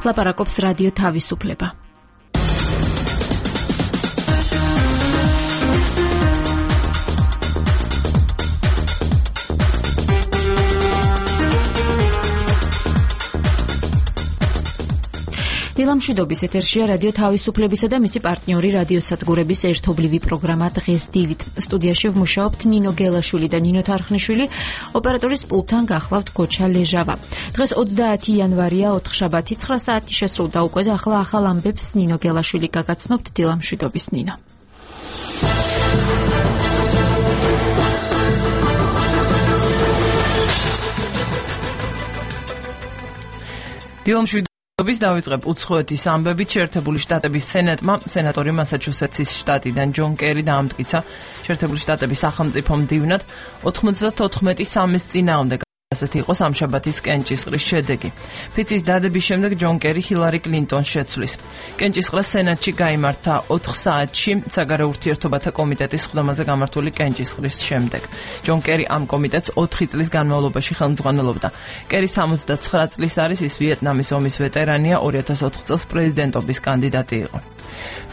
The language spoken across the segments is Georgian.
ლაპარაკობს რადიო თავისუფლება. დილამშვიდობის ეთერშია რადიო თავისუფლებისა და მისი პარტნიორი რადიოსადგურების ერთობლივი პროგრამა დღეს დილით. სტუდიაში ვმუშაობთ ნინო გელაშვილი და ნინო თარხნიშვილი, ოპერატორის პულტთან გახლავთ გოჩა ლეჟავა. დღეს 30 იანვარია, ოთხშაბათი, 9 საათი შესრულდა უკვე და ახლა ახალ ამბებს ნინო გელაშვილი გაგაცნობთ. დილამშვიდობის ნინო. დილამშვიდობის დავიწყებ უცხოეთის ამბებით. შეერთებული შტატების სენატმა სენატორი მასაჩუსეტსის შტატიდან ჯონ კერი დაამტკიცა შეერთებული შტატების სახელმწიფო მდივნად 94-3-ის წინააღმდეგ. ასეთი იყო სამშაბათის კენჭისყრის შედეგი. ფიცის დადების შემდეგ ჯონ კერი ჰილარი კლინტონს შეცვლის. კენჭისყრა სენატში გაიმართა 4 საათში საგარეო ურთიერთობათა კომიტეტის ხდომაზე გამართული კენჭისყრის შემდეგ. ჯონ კერი ამ კომიტეტს 4 წლის განმავლობაში ხელმძღვანელობდა. კერი 79 წლის არის, ის ვიეტნამის ომის ვეტერანია, 2004 წელს პრეზიდენტობის კანდიდატი იყო.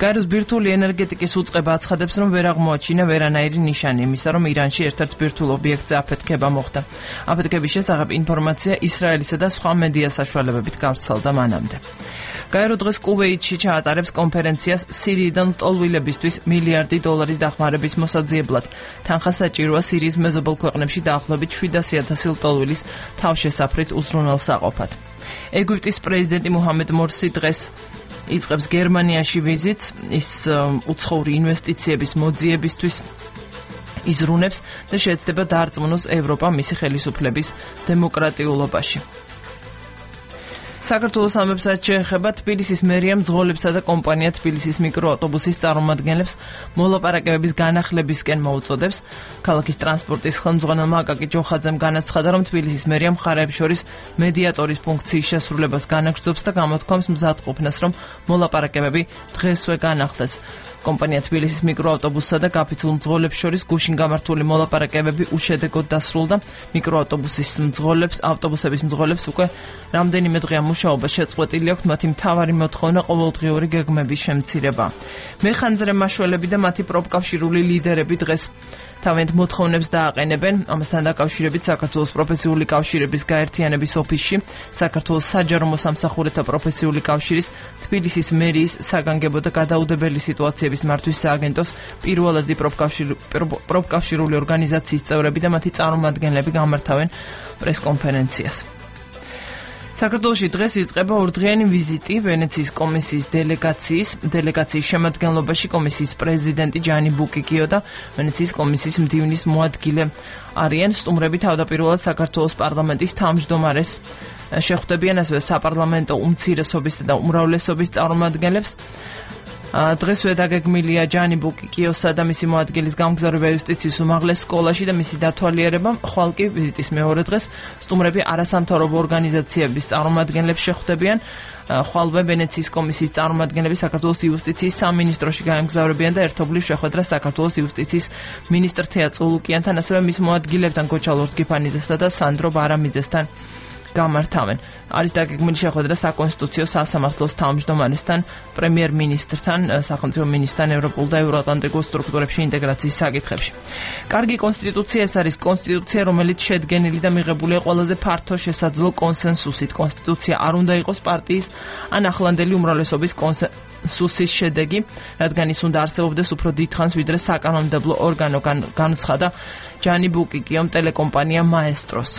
გაეროს ბირთვული ენერგეტიკის უწყება აცხადებს, რომ ვერ აღმოაჩინა ვერანაირი ნიშანი იმისა, რომ ირანში ერთ-ერთ ბირთვულ ობიექტზე აფეთქება მოხდა. აფეთქების შესახებ ინფორმაცია ისრაელისა და სხვა მედია საშუალებებით გავრცელდა მანამდე. გაერო დღეს კუვეითში ჩაატარებს კონფერენციას სირიიდან ლტოლვილებისთვის $1 მილიარდი დახმარების მოსაძიებლად. თანხა საჭიროა სირიის მეზობელ ქვეყნებში დაახლოებით 700,000 ლტოლვილის თავშესაფრით უზრუნველსაყოფად. ეგვიპტის პრეზიდენტი მუჰამედ მორსი დღეს იწყებს გერმანიაში ვიზიტს. ის უცხოური ინვესტიციების მოძიებისთვის იზრუნებს და შეეცდება დაარწმუნოს ევროპა მისი ხელისუფლების დემოკრატიულობაში. საქართველოს ამბებს შეეხება თბილისის მერიამ მძღოლებსა და კომპანია თბილისის მიკროავტობუსის წარმომადგენლებს მოლაპარაკებების განახლებისკენ მოუწოდებს. ქალაქის ტრანსპორტის ხელმძღვანელმა აკაკი ჯოხაძემ განაცხადა, რომ თბილისის მერიამ მხარეებს შორის მედიატორის ფუნქციის შესრულებას განაგრძობს და გამოთქვამს მზადყოფნას, რომ მოლაპარაკებები დღესვე განახლდეს. კომპანია თბილისის მიკროავტობუსსა და გაფიცულ მძღოლებს შორის გუშინ გამართული მოლაპარაკებები უშედეგოდ დასრულდა. ავტობუსების მძღოლებს უკვე რამდენიმე დღეა მუშაობა შეწყვეტილი აქვს, მათი მთავარი მოთხოვნა ყოველდღიური გეგმების შემცირება. მეხანძრე მაშველები და მათი პროფკავშირული ლიდერები დღეს თავიანთ მოთხოვნებს დააყენებენ. ამასთან დაკავშირებით საქართველოს პროფესიული კავშირების გაერთიანების ოფისში საქართველოს საჯარო მოსამსახურეთა პროფესიული კავშირის, თბილისის მერიის, საგანგებო და გადაუდებელი სიტუაციების მართვის სააგენტოს პირველადი პროფკავშირული ორგანიზაციის წევრები და მათი წარმომადგენლები გამართავენ პრესკონფერენციას. საქართველოში დღეს იწყება ორდღიანი ვიზიტი ვენეციის კომისიის დელეგაციის შემადგენლობაში კომისიის პრეზიდენტი ჯანი ბუკიკიო და ვენეციის კომისიის მდივნის მოადგილე არიან. სტუმრები თავდაპირველად საქართველოს პარლამენტის თავმჯდომარეს შეხვდებიან, ასევე საპარლამენტო უმცირესობის და უმრავლესობის წარმომადგენლებს. დღესვე დაგეგმილია ჯანი ბუკიკიოსა და მისი მოადგილის გამგზავრება იუსტიციის უმაღლეს სკოლაში და მისი დათვალიერება. ხვალ კი ვიზიტის მეორე დღეს სტუმრები არასამთავრობო ორგანიზაციების წარმომადგენლებს შეხვდებიან. ხვალვე ვენეციის კომისიის წარმომადგენლები საქართველოს იუსტიციის სამინისტროში გაემგზავრებიან და ერთობლივ შეხვედრას საქართველოს იუსტიციის მინისტრ თეა წულუკიანთან, ასევე მის მოადგილებთან გოჩა ლორდგიფანიძესთან და სანდრო ბარამიძესთან გამართავენ. არის დაგეგმილი შეხვედრა საკონსტიტუციო სასამართლოს თავმჯდომარესთან, პრემიერ-მინისტრთან, სახელმწიფო მინისტრთან ევროპულ და ევროატლანტიკურ სტრუქტურებში ინტეგრაციის საკითხებში. კარგი კონსტიტუცია ეს არის კონსტიტუცია, რომელიც შედგენილი და მიღებულია ყველაზე ფართო შესაძლო კონსენსუსით. კონსტიტუცია არ უნდა იყოს პარტიის ან ახლანდელი უმრავლესობის კონსენსუსის შედეგი, რადგან ის უნდა არსებობდეს უფრო დიდხანს ვიდრე საკანონმდებლო ორგანო, განუცხადა ჯანი ბუკიკიომ ტელეკომპანია მაესტროს.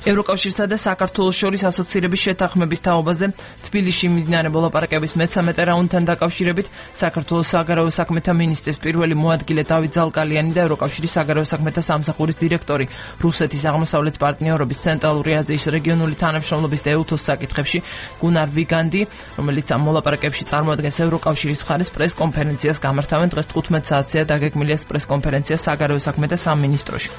ევროკავშირსა და საქართველოს შორის ასოცირების შეთანხმების თაობაზე თბილისში მიმდინარე მოლაპარაკების მე-13 რაუნდთან დაკავშირებით საქართველოს საგარეო საქმეთა მინისტრის პირველი მოადგილე დავით ზალკალიანი და ევროკავშირის საგარეო საქმეთა სამსახურის დირექტორი რუსეთის აღმოსავლეთ პარტნიორობის ცენტრალური აზიის რეგიონული თანამშრომლობის და ეუთოს საკითხებში გუნარ ვიგანდი, რომელიც ამ მოლაპარაკებში წარმოადგენს ევროკავშირის მხარეს, პრესკონფერენციას გამართავენ. დღეს 15 საათზეა დაგეგმილი ეს პრესკონფერენცია საგარეო საქმეთა სამინისტროში.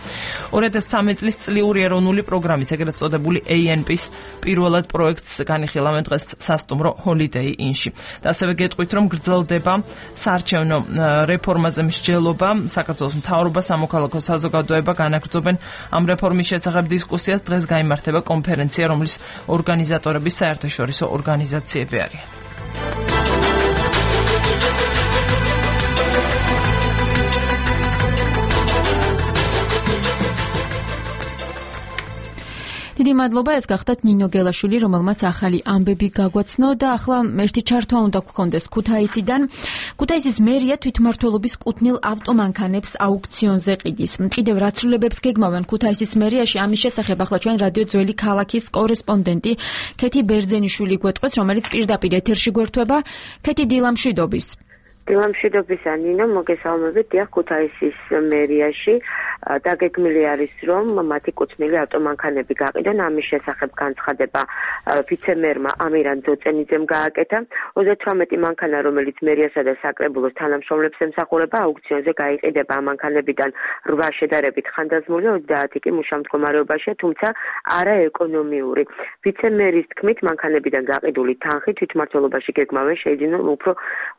2013 წლის წლიური ეროვნული პროგრამის ეგრეთ წოდებული ANP-ის პირველად პროექტს განიხილავენ დღეს სასტუმრო Holiday Inn-ში. და ასევე გეტყვით, რომ გრძელდება საარჩევნო რეფორმაზე მსჯელობა. საქართველოს მთავრობა, სამოქალაქო საზოგადოება განაგრძობენ ამ რეფორმის შესახებ დისკუსიას. დღეს გაიმართება კონფერენცია, რომლის ორგანიზატორები საერთაშორისო ორგანიზაციები არიან. დიდი მადლობა, ეს გახდათ ნინო გელაშვილი, რომელმაც ახალი ამბები გაგვაცნო და ახლა ერთი ჩართვა უნდა გქონდეს ქუთაისიდან. ქუთაისის მერია თვითმმართველობის კუთვნილ ავტომანქანებს აუქციონზე ყიდის. კიდევ რა ცვლილებებს გეგმავენ ქუთაისის მერიაში, ამის შესახებ ახლა ჩვენ რადიო ძველი ქალაქის კორესპონდენტი ქეთი ბერძენიშვილი გვეტყვის, რომელიც პირდაპირ ეთერში გვერდება. ქეთი, დილამშვიდობის. დილამშვიდობისა, ნინო, მოგესალმებით. დიახ, ქუთაისის მერიაში დაგეგმილი არის, რომ მათი კუთვნილი ავტომანქანები გაყიდონ. ამის შესახებ განცხადება ვიცე-მერმა ამირან ძოწენიძემ გააკეთა. 38 მანქანა, რომელიც მერიასა და საკრებულოს თანამშრომლებს ემსახურება, აუქციონზე გაიყიდება. ამ მანქანებიდან 8 შედარებით ხანდაზმული, 30 კი მუშა მდგომარეობაშია, თუმცა არა ეკონომიური. ვიცე-მერის თქმით, მანქანებიდან გაყიდული თანხი თვითმმართველობაში გეგმავენ შეიძინონ უფრო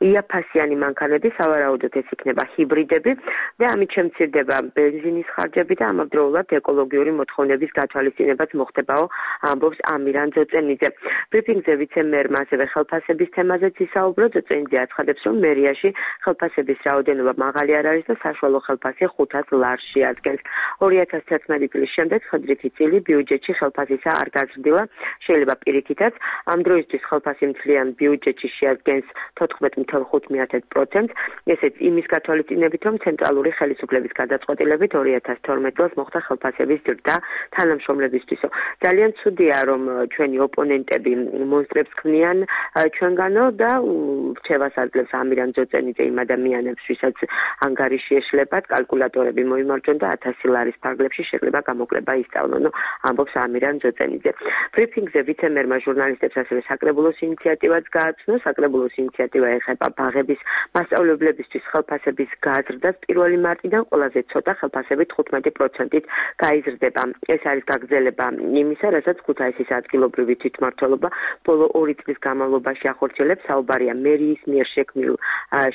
იაფასიანი მანქანები, სავარაუდოდ ეს იქნება ჰიბრიდები და ამით შემცირდება ბენზინის ხარჯები და ამავდროულად ეკოლოგიური მოთხოვნების გათვალისწინებაც მოხდებაო, ამბობს ამირან ძოწენიძე. ბრიფინგზე ვიცე-მერმა ასევე ხელფასების თემაზეც ისაუბრა. ძოწენიძე აცხადებს, რომ მერიაში ხელფასების რაოდენობა მაღალი არ არის და საშუალო ხელფასი 500 ლარში ადგენს. 2011 წლის შემდეგ ხდრითი წილი ბიუჯეტში ხელფასისა არ გაზრდილა, შეიძლება პირიქითაც. ამ დროისთვის ხელფასი მთლიან ბიუჯეტში შეადგენს 14.5%. ესეც იმის გათვალისწინებით, რომ ცენტრალური ხელისუფლების გადაწყვეტილებით 2012 წელს მოხდა ხელფასების ზრდა თანამშრომლებისთვისო. ძალიან ცუდია, რომ ჩვენი ოპონენტები მონსტრებს ქმნიან ჩვენგანო და რჩევას აძლევს ამირან ძოწენიძე იმ ადამიანებს, ვისაც ანგარიში ეშლებათ, კალკულატორები მოიმარჯვონ და 1000 ლარის ფარგლებში შეიძლება გამოკლება ისწავლონ, ამბობს ამირან ძოწენიძე. ბრიფინგზე ვიცე-მერმა ჟურნალისტებს ასევე საკრებულოს ინიციატივაც გააცნო. საკრებულოს ინიციატივა ეხება ბაღების მასწავლებლებისთვის ხელფასების გაზრდას 1 მარტიდან ყველაზე ცოტა ხელფასები 15%-ით გაიზრდება. ეს არის გაგრძელება იმისა, რასაც ქუთაისის ადგილობრივი თვითმმართველობა ბოლო 2 წლის განმავლობაში ახორციელებს. საუბარია მერიის მიერ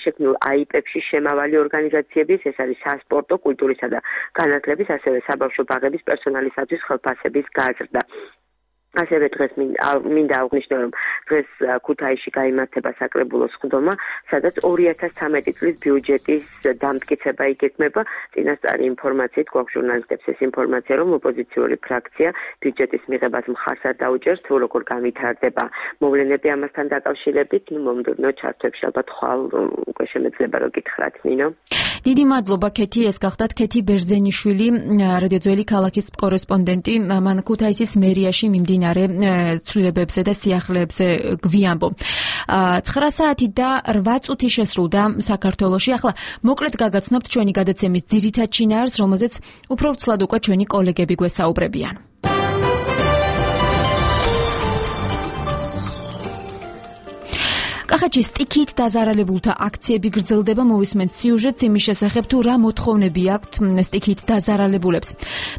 შექმნილ აიპებში შემავალი ორგანიზაციების, ეს არის სასპორტო, კულტურისა და განათლების, ასევე საბავშვო ბაღების პერსონალისათვის ხელფასების გაზრდა. ასევე დღეს მინდა აღვნიშნო, რომ დღეს ქუთაისში გაიმართება საკრებულოს სხდომა, სადაც 2013 წლის ბიუჯეტის დამტკიცება იგეგმება. წინასწარი ინფორმაციით გვაქვს ჟურნალისტებს ეს ინფორმაცია, რომ ოპოზიციური ფრაქცია ბიუჯეტის მიღებას მხარს არ დაუჭერს, თუ როგორ განვითარდება მოვლენები ამასთან დაკავშირებით. მომდევნო ჩართვებში ალბათ ხვალ უკვე შემეძლება რომ გითხრათ, ნინო. დიდი მადლობა, ქეთი, ეს გახდათ ქეთი ბერძენიშვილი, რადიო ძველი ქალაქის კორესპონდენტი. მან ქუთაისის მერიაში მიმდინარე ცვლილებებზე და სიახლეებზე გვიამბო. 9 საათი და 8 წუთი შესრულდა საქართველოში. ახლა მოკლედ გაგაცნობთ ჩვენი გადაცემის ძირითად შინაარსს, რომელზეც უფრო ვცლად უკვე ჩვენი კოლეგები გვესაუბრებიან. კახეთში სტიქით დაზარალებულთა აქციები გრძელდება. მოვისმენთ სიუჟეტს იმის შესახებ, თუ რა მოთხოვნები აქვთ სტიქით დაზარალებულებს.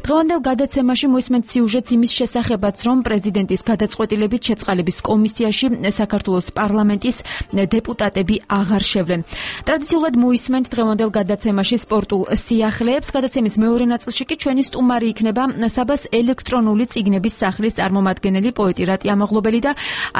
დღევანდელ გადაცემაში მოვისმენთ სიუჟეტს იმის შესახებაც, რომ პრეზიდენტის გადაწყვეტილებით შეწყალების კომისიაში საქართველოს პარლამენტის დეპუტატები აღარ შევლენ. ტრადიციულად მოვისმენთ დღევანდელ გადაცემაში სპორტულ სიახლეებს. გადაცემის მეორე ნაწილში კი ჩვენი სტუმარი იქნება საბას ელექტრონული წიგნების სახლის წარმომადგენელი, პოეტი რატი ამაღლობელი და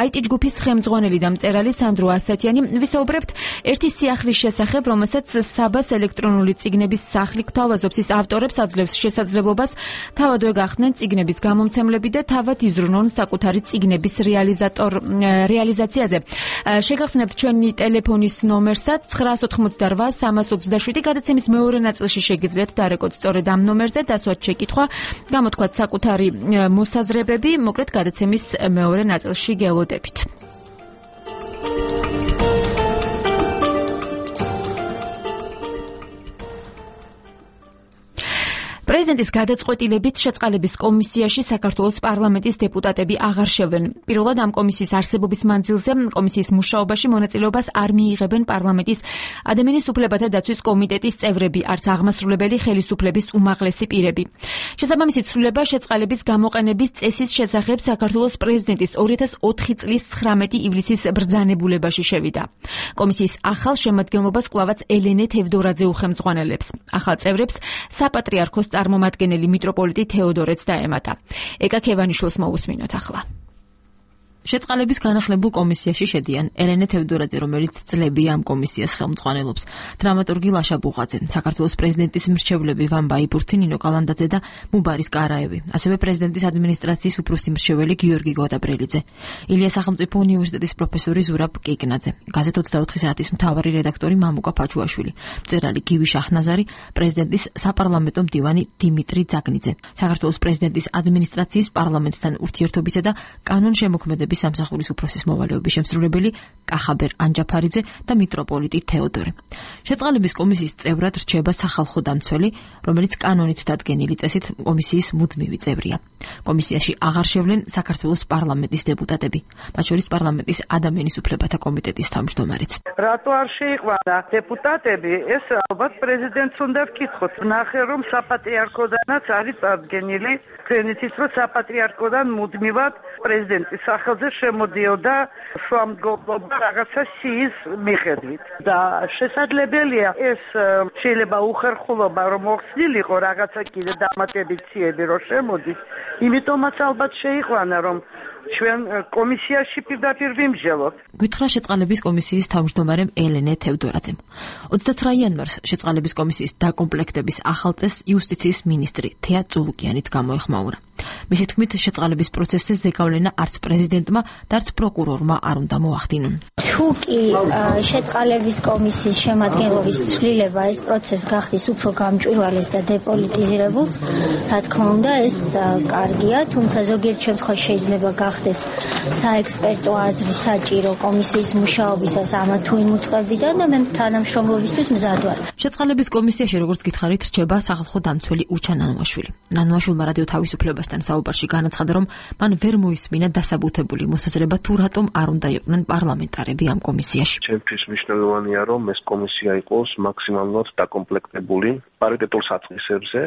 IT ჯგუფის ხელმძღვანელი და მწერალი სანდრო ასათიანი. ვისაუბრებთ ერთი სიახლის შესახებ, რომელსაც საბას ელექტრონული წიგნების სახლი გვთავაზობს. ის ავტორებს აძლევს შესაძლებლობას თავადვე გახდნენ წიგნების გამომცემლები და თავად იზრუნონ საკუთარი წიგნების რეალიზაციაზე. შეგახსენებთ ჩვენი ტელეფონის ნომერსაც 988-327. გადაცემის მეორე ნაწილში შეგიძლიათ დარეკოთ სწორედ ამ ნომერზე, დასვათ შეკითხვა, გამოთქვათ საკუთარი მოსაზრებები, მოკლედ გადაცემის მეორე ნაწილში გელოდებით. პრეზიდენტის გადაწყვეტილებით შეწყალების კომისიაში საქართველოს პარლამენტის დეპუტატები აღარ შევლენ. პირველად ამ კომისიის არსებობის მანძილზე კომისიის მუშაობაში მონაწილეობას არ მიიღებენ პარლამენტის ადამიანის უფლებათა დაცვის კომიტეტის წევრები, არც აღმასრულებელი ხელისუფლების უმაღლესი პირები. შესაბამისი ცვლილება შეწყალების გამოყენების წესის შესახებ საქართველოს პრეზიდენტის 2004 წლის 19 ივლისის ბრძანებულებაში შევიდა. კომისიის ახალ შემადგენლობას კვლავაც ელენე თევდორაძე უხელმძღვანელებს. ახალ წევრებს საპატრიარქოს წარმომადგენელი მიტროპოლიტი თეოდორეც დაემატა. ეკა ქევანიშვილს მოусმინოთ ახლა. შეწყალების განახლებულ კომისიაში შედიან ელენე თევდორაძე, რომელიც წლებია ამ კომისიას ხელმძღვანელობს, დრამატურგი ლაშა ბუღაძე, საქართველოს პრეზიდენტის მრჩევლები ვან ბაიბურთი, ნინო კალანდაძე და მუბარის კარაევი, ასევე პრეზიდენტის ადმინისტრაციის უფროსი მრჩეველი გიორგი გოდაბრელიძე, ილია სახელმწიფო უნივერსიტეტის პროფესორი ზურაბ კიკნაძე, გაზეთ 24 საათის მთავარი რედაქტორი მამუკა ფაჩუაშვილი, მწერალი გივი შაჰნაზარი, პრეზიდენტის საპარლამენტო მდივანი დიმიტრი ძაგნიძე, საქართველოს პრეზიდენტის ადმინისტრაციის პარლამენტთან ურთიერთობისა და კანონშემოქმედების სამსახურის უფროსის მოვალეობის შემსრულებელი კახაბერ ანჯაფარიძე და მიტროპოლიტი თეოდორე. შეწყალების კომისიის წევრად რჩება სახალხო დამცველი, რომელიც კანონით დადგენილი წესით კომისიის მუდმივი წევრია. კომისიაში აღარ შევლენ საქართველოს პარლამენტის დეპუტატები, მათ შორის პარლამენტის ადამიანის უფლებათა კომიტეტის თავმჯდომარეც. რატო არ შეიყვანა დეპუტატები? ეს ალბათ პრეზიდენტს უნდა ვკითხოთ. ნახე რომ საპატრიარქოდანაც არის წარდგენილი, თქვენიცის რომ საპატრიარქოდან მუდმივად პრეზიდენტის სახელზე შემოდიოდა შუამდგომლობა რაღაცა სიის მიხედვით და შესაძლებელია ეს შეიძლება უხერხულობა რომ მოხსნილიყო რაღაცა კიდე დამატებით ციები რომ შემოდის, იმიტომაც ალბათ შეიყვანა რომ ჩვენ კომისიაში პირდაპირ ვიმსჯელოთ. გითხრა შეწყალების კომისიის თავმჯდომარემ ელენე თევდორაძემ. 29 იანვარს შეწყალების კომისიის დაკომპლექტების ახალ წესს იუსტიციის მინისტრი თეა წულუკიანიც გამოეხმაურა. მისი თქმით, შეწყალების პროცესზე ზეგავლენა არც პრეზიდენტმა და არც პროკურორმა არ უნდა მოახდინონ. თუ კი შეწყალების კომისიის შემადგენლობის ცვლილება ეს პროცესს გახდის უფრო გამჭვირვალეს და დეპოლიტიზირებულს, რა თქმა უნდა, ეს კარგია, თუმცა ზოგიერთ შემთხვევაში შეიძლება გახდეს საექსპერტო აზრი საჭირო კომისიის მუშაობისას ამა თუ იმ უწყებიდან და მე თანამშრომლობისთვის მზად ვარ. შეწყალების კომისიაში, როგორც გითხარით, რჩება სახალხო დამცველი უჩა ნანუაშვილი. ნანუაშვილმა რადიო თავისუფლებასთან საუბარში განაცხადა, რომ მან ვერ მოისმინა დასაბუთებული მოსაზრება თუ რატომ არ უნდა იყვნენ პარლამენტარები ამ კომისიაში. ჩემთვის მნიშვნელოვანია, რომ ეს კომისია იყოს მაქსიმალურად დაკომპლექტებული პარიტეტულ საწყისებზე,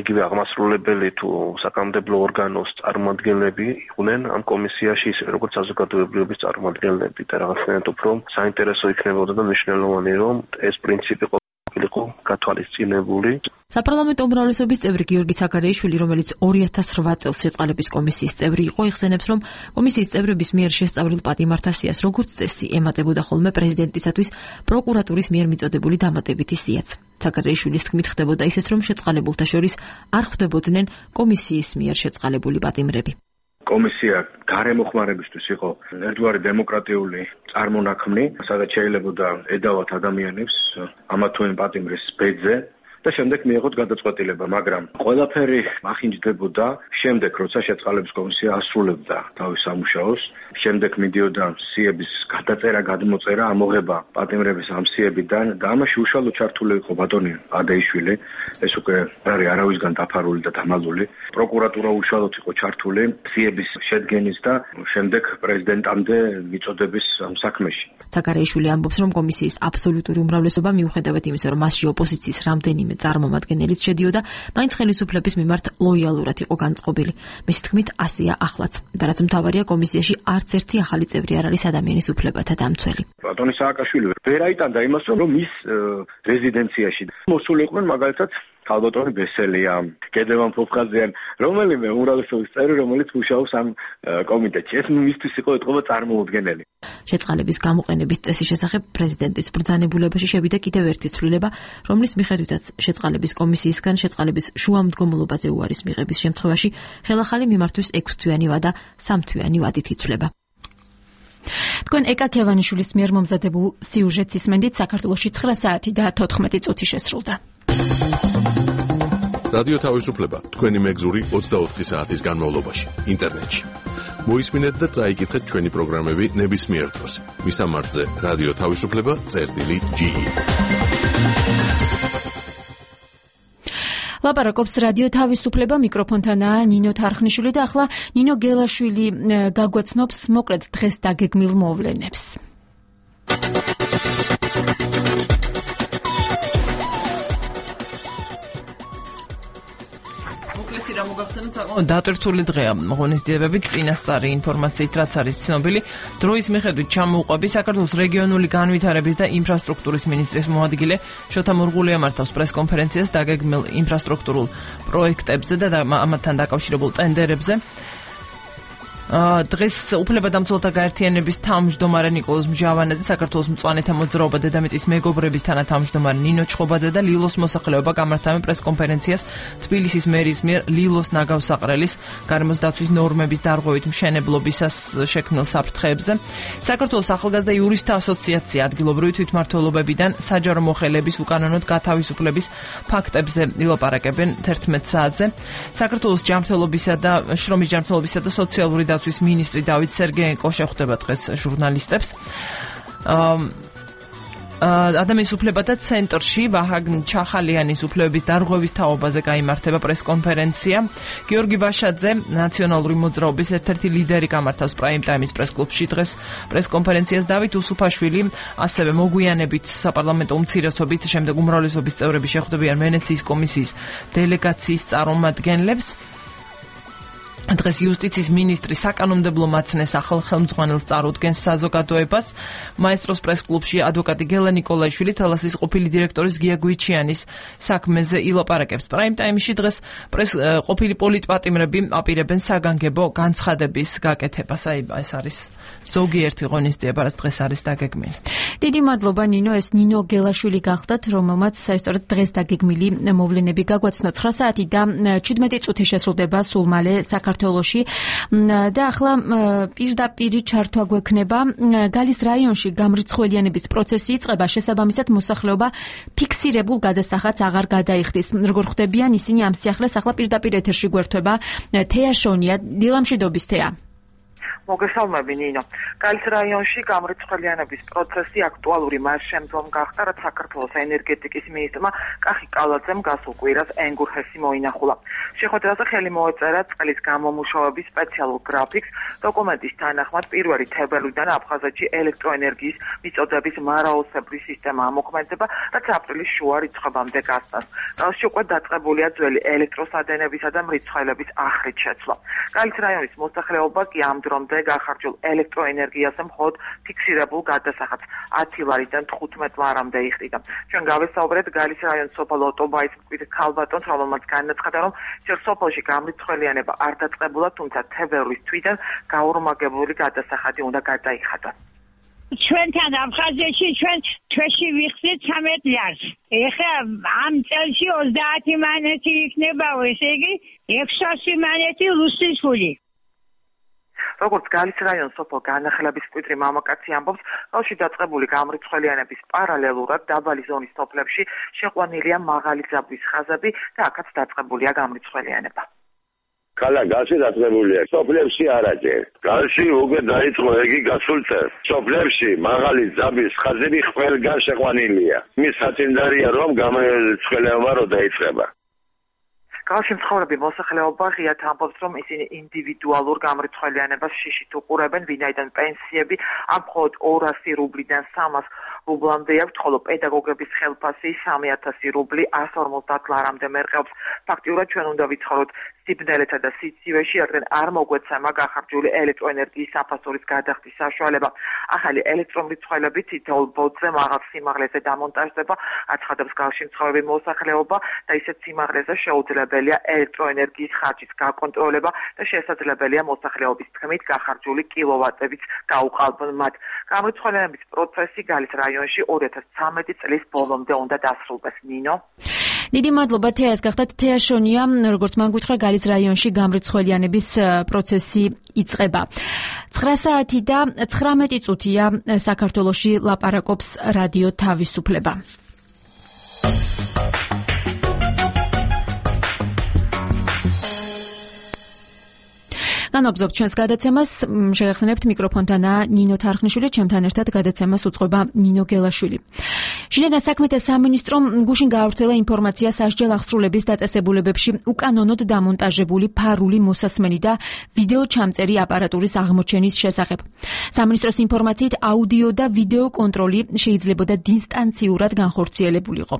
იგივე აღმასრულებელი თუ საკანონმდებლო ორგანოს წარმომადგენლები იყვნენ ამ კომისიაში, ისე როგორც საზოგადოებრივების წარმომადგენლები და რაღაცნაირად უფრო საინტერესო იქნებოდა და მნიშვნელოვანი, რომ ეს პრინციპი ყოფილიყო გათვალისწინებული. საპარლამენტო უმრავლესობის წევრი გიორგი საგარეიშვილი, რომელიც 2008 წელს შეწყალების კომისიის წევრი იყო, იხსენებს, რომ კომისიის წევრების მიერ შესწავლილ პატიმართა სიას, როგორც წესი, ემატებოდა ხოლმე პრეზიდენტისათვის პროკურატურის მიერ მიწოდებული დამატებითი სიაც. საგარეიშვილის თქმით, ხდებოდა ისიც, რომ შეწყალებულთა შორის არ ხვდებოდნენ კომისიის მიერ შეწყალებული პატიმრები. კომისია გარემოხმარებისთვის იყო ერთგვარი დემოკრატიული წარმონაქმნი, სადაც შეიძლებოდა ედავათ ადამიანებს ამა თუ იმ პატიმრის ბედზე და შემდეგ მიიღოთ გადაწყვეტილება, მაგრამ ყველაფერი ახინჯდებოდა შემდეგ, როცა შეწყალების კომისია ასრულებდა თავის სამუშაოს, შემდეგ მიდიოდა სიების გადაწერა, გადმოწერა, ამოღება პატიმრების ამ სიებიდან და ამაში უშუალოდ ჩართული იყო ბატონი ადეიშვილი, ეს უკვე არის არავისგან დაფარული და დამალული. პროკურატურა უშუალოდ იყო ჩართული სიების შედგენის და შემდეგ პრეზიდენტამდე მიწოდების ამ საქმეში. საგარეიშვილი ამბობს, რომ კომისიის აბსოლუტური უმრავლესობა მიუხედავად იმისა, რომ მასში ოპოზიციის რამდენიმე წარმომადგენელიც შედიოდა, მაინც ხელისუფლების მიმართ ლოიალურად იყო განწყობილი. მისი თქმით, ასეა ახლაც. და რაც მთავარია, კომისიაში არც ერთი ახალი წევრი არ არის ადამიანის უფლებათა დამცველი. ბატონი სააკაშვილი ვერ აიტანდა იმას, რომ მის რეზიდენციაში მოსული იყვნენ მაგალითად ქალბატონი ბესელია, გედევან ფოფხაზიან, რომელიმე უმრავლესობის წევრი, რომელიც მუშაობს ამ კომიტეტში. ეს მისთვის იყო ეთყობა წარმოუდგენელი. შეწყალების გამოყენების წესის შესახებ პრეზიდენტის ბრძანებულებაში შევიდა კიდევ ერთი ცვლილება, რომლის მიხედვითაც შეწყალების კომისიისგან შეწყალების შუამდგომლობაზე უარის მიღების შემთხვევაში ხელახალი მიმართვის 6 თვიანი ვადა 3 თვიანი ვადით იცვლება. თქვენ ეკა ქევანიშვილის მიერ მომზადებულ სიუჟეტს ისმენდით. საქართველოში 9 საათი და 14 წუთი შესრულდა. რადიო თავისუფლება თქვენი მეგზური 24 საათის განმავლობაში ინტერნეტში. მოისმინეთ და წაიკითხეთ ჩვენი პროგრამები ნებისმიერ დროს. მისამართზე რადიო თავისუფლება.ge ლაპარაკობს რადიო თავისუფლება, მიკროფონთანაა ნინო თარხნიშვილი და ახლა ნინო გელაშვილი გაგვაცნობს მოკლედ დღეს დაგეგმილ მოვლენებს. დატვირთული დღეა ღონისძიებებით წინასწარი ინფორმაციით, რაც არის ცნობილი. დროის მიხედვით ჩამოუყვები საქართველოს რეგიონული განვითარების და ინფრასტრუქტურის მინისტრის მოადგილე შოთა მურღულია მართავს პრესკონფერენციას დაგეგმილ ინფრასტრუქტურულ პროექტებზე და ამათთან დაკავშირებულ ტენდერებზე. დღეს უფლებადამცველთა გაერთიანების თავმჯდომარე ნიკოლოზ მჟავანაძე, საქართველოს მწვანეთა მოძრაობა დედამიწის მეგობრების თანათავმჯდომარე ნინო ჩხობაძე და ლილოს მოსახლეობა გამართავენ პრესკონფერენციას თბილისის მერის მიერ ლილოს ნაგავსაყრელის გარემოს დაცვის ნორმების დარღვევით მშენებლობისას შექმნილ საფრთხეებზე. საქართველოს ახალგაზრდა იურისტთა ასოციაცია ადგილობრივი თვითმმართველობებიდან საჯარო მოხელეების უკანონოდ გათავისუფლების ფაქტებზე ილაპარაკებენ 11 საათზე. საქართველოს ჯანმრთელობისა და შრომის ჯანმრთელობისა და სოციალური დაცვის მინისტრი დავით სერგეენკო შეხვდება დღეს ჟურნალისტებს. ადამიანის უფლებათა ცენტრში ვაჰაგ ჩახალიანის უფლებების დარღვევის თაობაზე გაიმართება პრესკონფერენცია. გიორგი ვაშაძე, ნაციონალური მოძრაობის ერთ-ერთი ლიდერი, გამართავს პრაიმ ტაიმის პრესკლუბში დღეს პრესკონფერენციას. დავით უსუფაშვილი ასევე მოგვიანებით საპარლამენტო უმცირესობის, შემდეგ უმრავლესობის წევრები შეხვდებიან ვენეციის კომისიის დელეგაციის წარმომადგენლებს. დღეს იუსტიციის მინისტრი საკანონმდებლო მაცნეს ახალ ხელმძღვანელს წარუდგენს საზოგადოებას. მაესტროს პრესკლუბში ადვოკატი გელა ნიკოლაიშვილი თელასის ყოფილი დირექტორის გია გვიჩიანის საქმეზე ილაპარაკებს. პრაიმ ტაიმში დღეს ყოფილი პოლიტპატიმრები აპირებენ საგანგებო განცხადების გაკეთებას. ეს არის ზოგიერთი ღონისძიება, რაც დღეს არის დაგეგმილი. დიდი მადლობა ნინო, ეს ნინო გელაშვილი გახდათ, რომელმაც საერთოდ დღეს დაგეგმილი მოვლენები გაგვაცნო. 9 საათი და 17 წუთი შესრულდება სულ მალე საქართველოში და ახლა პირდაპირი ჩართვა გვექნება. გალის რაიონში გამრიცხველიანების პროცესი იწყება, შესაბამისად მოსახლეობა ფიქსირებულ გადასახადს აღარ გადაიხდის. როგორ ხვდებიან ისინი ამ სიახლეს? ახლა პირდაპირ ეთერში გვერდება თეა შონია. დილამშვიდობის თეა. მოგესალმები ნინო. გალის რაიონში გამრიცხველიანების პროცესი აქტუალური მას შემდგომ გახდა, რაც საქართველოს ენერგეტიკის მინისტრმა კახი კალაძემ გასულ კვირას ენგურჰესი მოინახულა. შეხვედრაზე ხელი მოეწერა წყლის გამომუშავების სპეციალურ გრაფიკს. დოკუმენტის თანახმად 1 თებერვლიდან აფხაზეთში ელექტროენერგიის მიწოდების მარაოსებრი სისტემა ამოქმედება, რაც აპრილის შუა რიცხვებამდე გასცეს. გალში უკვე დაწყებულია ძველი ელექტროსადენებისა და მრიცხველების ახრით შეცვლა. გალის რაიონის მოსახლეობა კი ამ დრომდე გახარჯულ ელექტროენერგიაზე მხოლოდ ფიქსირებულ გადასახადს 10 ლარიდან 15 ლარამდე იხდიდა. ჩვენ გავესაუბრეთ გალის რაიონის სოფელ ოტობაის მკვიდრ ქალბატონს, რომელმაც განაცხადა, რომ სოფელში გამრიცხველიანება არ დაწყებულა, თუმცა თებერვლის თვიდან გაურმაგებული გადასახადი უნდა გადაიხადოს. ჩვენთან აფხაზეთში ჩვენ თვეში ვიხსნით 13 ლარს. ეხლა ამ წელში 30 მანეთი იქნება, ესე იგი 600 მანეთი რუსის ფული. როგორც გალის რაიონის სოფელ განახილების მკვიდრი მამაკაცი ამბობს, ბავში დაწყებული გამრიცხველიანების პარალელურად დაბალი ზონის სოფლებში შეყვანილია მაღალი ძაბვის ხაზები და აქაც დაწყებულია გამრიცხველიანება. ქალა გასი დაწყებულია. სოფლებში არაჯერ. გალში უკვე დაიწყო ეგი გასულ წელს. სოფლებში მაღალი ძაბვის ხაზები ყველგან შეყვანილია. მის საწინდარია რომ გამრიცხველიანება რო დაიწყება. გალში მცხოვრები მოსახლეობა ღიად ამბობს, რომ ისინი ინდივიდუალურ გამრიცხველიანებას შიშით უყურებენ, ვინაიდან პენსიები ამ მხოლოდ 200 რუბლიდან 300 რუბლამდე აქვს, ხოლო პედაგოგების ხელფასი 3000 რუბლი 150 ლარამდე მერყეობს. ფაქტიურად ჩვენ უნდა ვიცხოვროთ სიბნელეთა და სიცივეში, რადგან არ მოგვეცემა გახარჯული ელექტროენერგიის საფასურის გადახდის საშუალება. ახალი ელექტრომრიცხველები თითოეულ ბოძზე მაღალ სიმაღლეზე დამონტაჟდება, აცხადებს გალში მცხოვრები მოსახლეობა და ისეთ სიმაღლეზე შეუძლებელია ელექტროენერგიის ხარჯის გაკონტროლება და შესაძლებელია მოსახლეობის თქმით გახარჯული კილოვატებიც გაუყალბონ მათ. გამრიცხველიანების პროცესი გალის რაიონში 2013 წლის ბოლომდე უნდა დასრულდეს. ნინო. დიდი მადლობა თეა, ეს გახდათ თეა შონია, როგორც მან გითხრა გალის რაიონში გამრიცხველიანების პროცესი იწყება. 9 საათი და 19 წუთია საქართველოში ლაპარაკობს რადიო თავისუფლება. განვაგრძობთ ჩვენს გადაცემას. შეგახსენებთ მიკროფონთანაა ნინო თარხნიშვილი, ჩემთან ერთად გადაცემას უწყობა ნინო გელაშვილი. შინაგან საქმეთა სამინისტრომ გუშინ გაავრცელა ინფორმაცია სასჯელ აღსრულების დაწესებულებებში უკანონოდ დამონტაჟებული ფარული მოსასმენი და ვიდეო ჩამწერი აპარატურის აღმოჩენის შესახებ. სამინისტროს ინფორმაციით აუდიო და ვიდეო კონტროლი შეიძლებოდა დისტანციურად განხორციელებულიყო.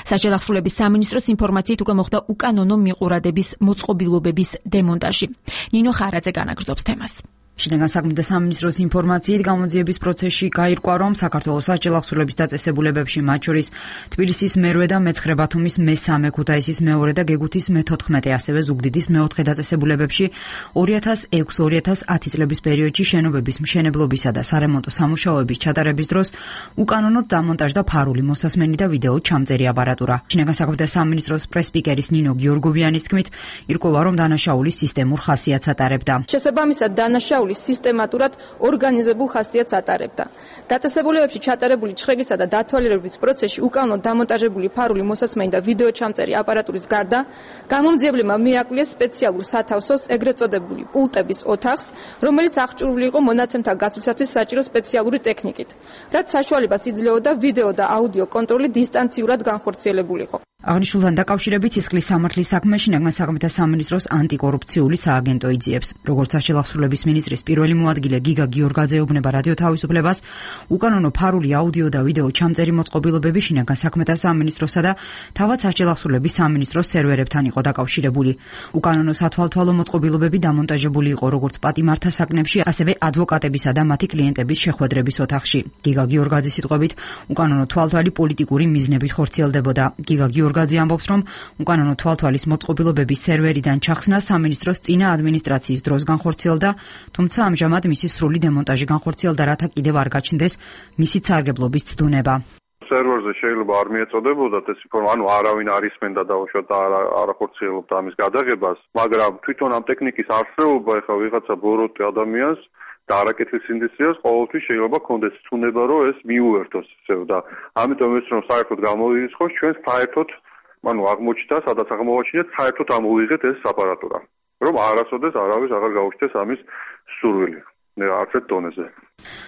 სასჯელ აღსრულების სამინისტროს ინფორმაციით უკვე მოხდა უკანონო მიყურადების მოწყობილობების დემონტაჟი. ნინო ხარაძე განაგრძობს თემას. შინაგან საქმეთა სამინისტროს ინფორმაციით გამოძიების პროცესში გაირკვა, რომ საქართველოს სასჯელ აღსრულების დაწესებულებებში, მათ შორის თბილისის მერვე და მეცხრე ბათუმის მესამე, ქუთაისის მეორე და გეგუთის მე-14, ასევე ზუგდიდის მე-4 დაწესებულებებში 2006-2010 წლების პერიოდში შენობების მშენებლობისა და სარემონტო სამუშაოების ჩატარების დროს უკანონოდ დამონტაჟდა ფარული მოსასმენი და ვიდეო ჩამწერი აპარატურა. შინაგან საქმეთა სამინისტროს პრესპიკერის ნინო გიორგოვიანის თქმით, ირკვევა, რომ დანაშაული სისტემურ ხასიათს ატარებდა. შესაბამისად, დანაშაული სისტემატურად ორგანიზებულ ხასიათს ატარებდა. დაწესებულებებში ჩატარებული ჩხრეგისა და დათვალიერების პროცესში უკანონოდ დამონტაჟებული ფარული მოსასმენი და ვიდეო ჩამწერი აპარატურის გარდა გამომძიებლებმა მიაკვლიეს სპეციალურ სათავსოს, ეგრეთ წოდებული პულტების ოთახს, რომელიც აღჭურვილი იყო მონაცემთა გაცვლისათვის საჭირო სპეციალური ტექნიკით, რაც საშუალებას იძლეოდა ვიდეო და აუდიო კონტროლი დისტანციურად განხორციელებულიყო. აღნიშნულთან დაკავშირებით სისხლის სამართლის საქმე შინაგან საქმეთა სამინისტროს ანტიკორუფციული სააგენტო იძიებს. როგორც სასჯელ აღსრულების მინისტრის პირველი მოადგილე გიგა გიორგაძე ეუბნება რადიო თავისუფლებას, უკანონო ფარული აუდიო და ვიდეო ჩამწერი მოწყობილობები შინაგან საქმეთა სამინისტროსა და თავად სასჯელ აღსრულების სამინისტროს სერვერებთან იყო დაკავშირებული. უკანონო სათვალთვალო მოწყობილობები დამონტაჟებული იყო როგორც პატიმართა საკნებში, ასევე ადვოკატებისა და მათი კლიენტების შეხვედრების ოთახში. გიგა გიორგაძის სიტყვებით, უკანონო თვალთვალი პოლიტიკური მიზნებით ხორციელდებოდა. გიგა გიორგაძე ამბობს, რომ უკანონო თვალთვალის მოწყობილობების სერვერიდან ჩახსნა სამინისტროს წინა ადმინისტრაციის დროს განხორციელდა, თუმცა ამჟამად მისი სრული დემონტაჟი განხორციელდა, რათა კიდევ არ გაჩნდეს მისი სარგებლობის ცდუნება. სერვერზე შეიძლება არ მიეწოდებოდათ ეს ინფორმაცია, ანუ არავინ არ ისმენდა დაუშვათ და არ ახორციელებდა ამის გადაღებას, მაგრამ თვითონ ამ ტექნიკის არსებობა ეხლა ვიღაცა ბოროტი ადამიანს და არაკეთილ სინდისტრიას ყოველთვის შეიძლება კონდეს ცუნება, რომ ეს მიუერთოს ისევ და ამიტომ ეს რომ საერთოდ გამოირიცხოს ჩვენს საერთოდ, ანუ აღმოჩნდა, სადაც აღმოვაჩინეთ, საერთოდ ამოვიღეთ ეს აპარატურა, რომ არასოდეს არავის აღარ გაუჩნდეს ამის სურვილი. არც ერთ დონეზე.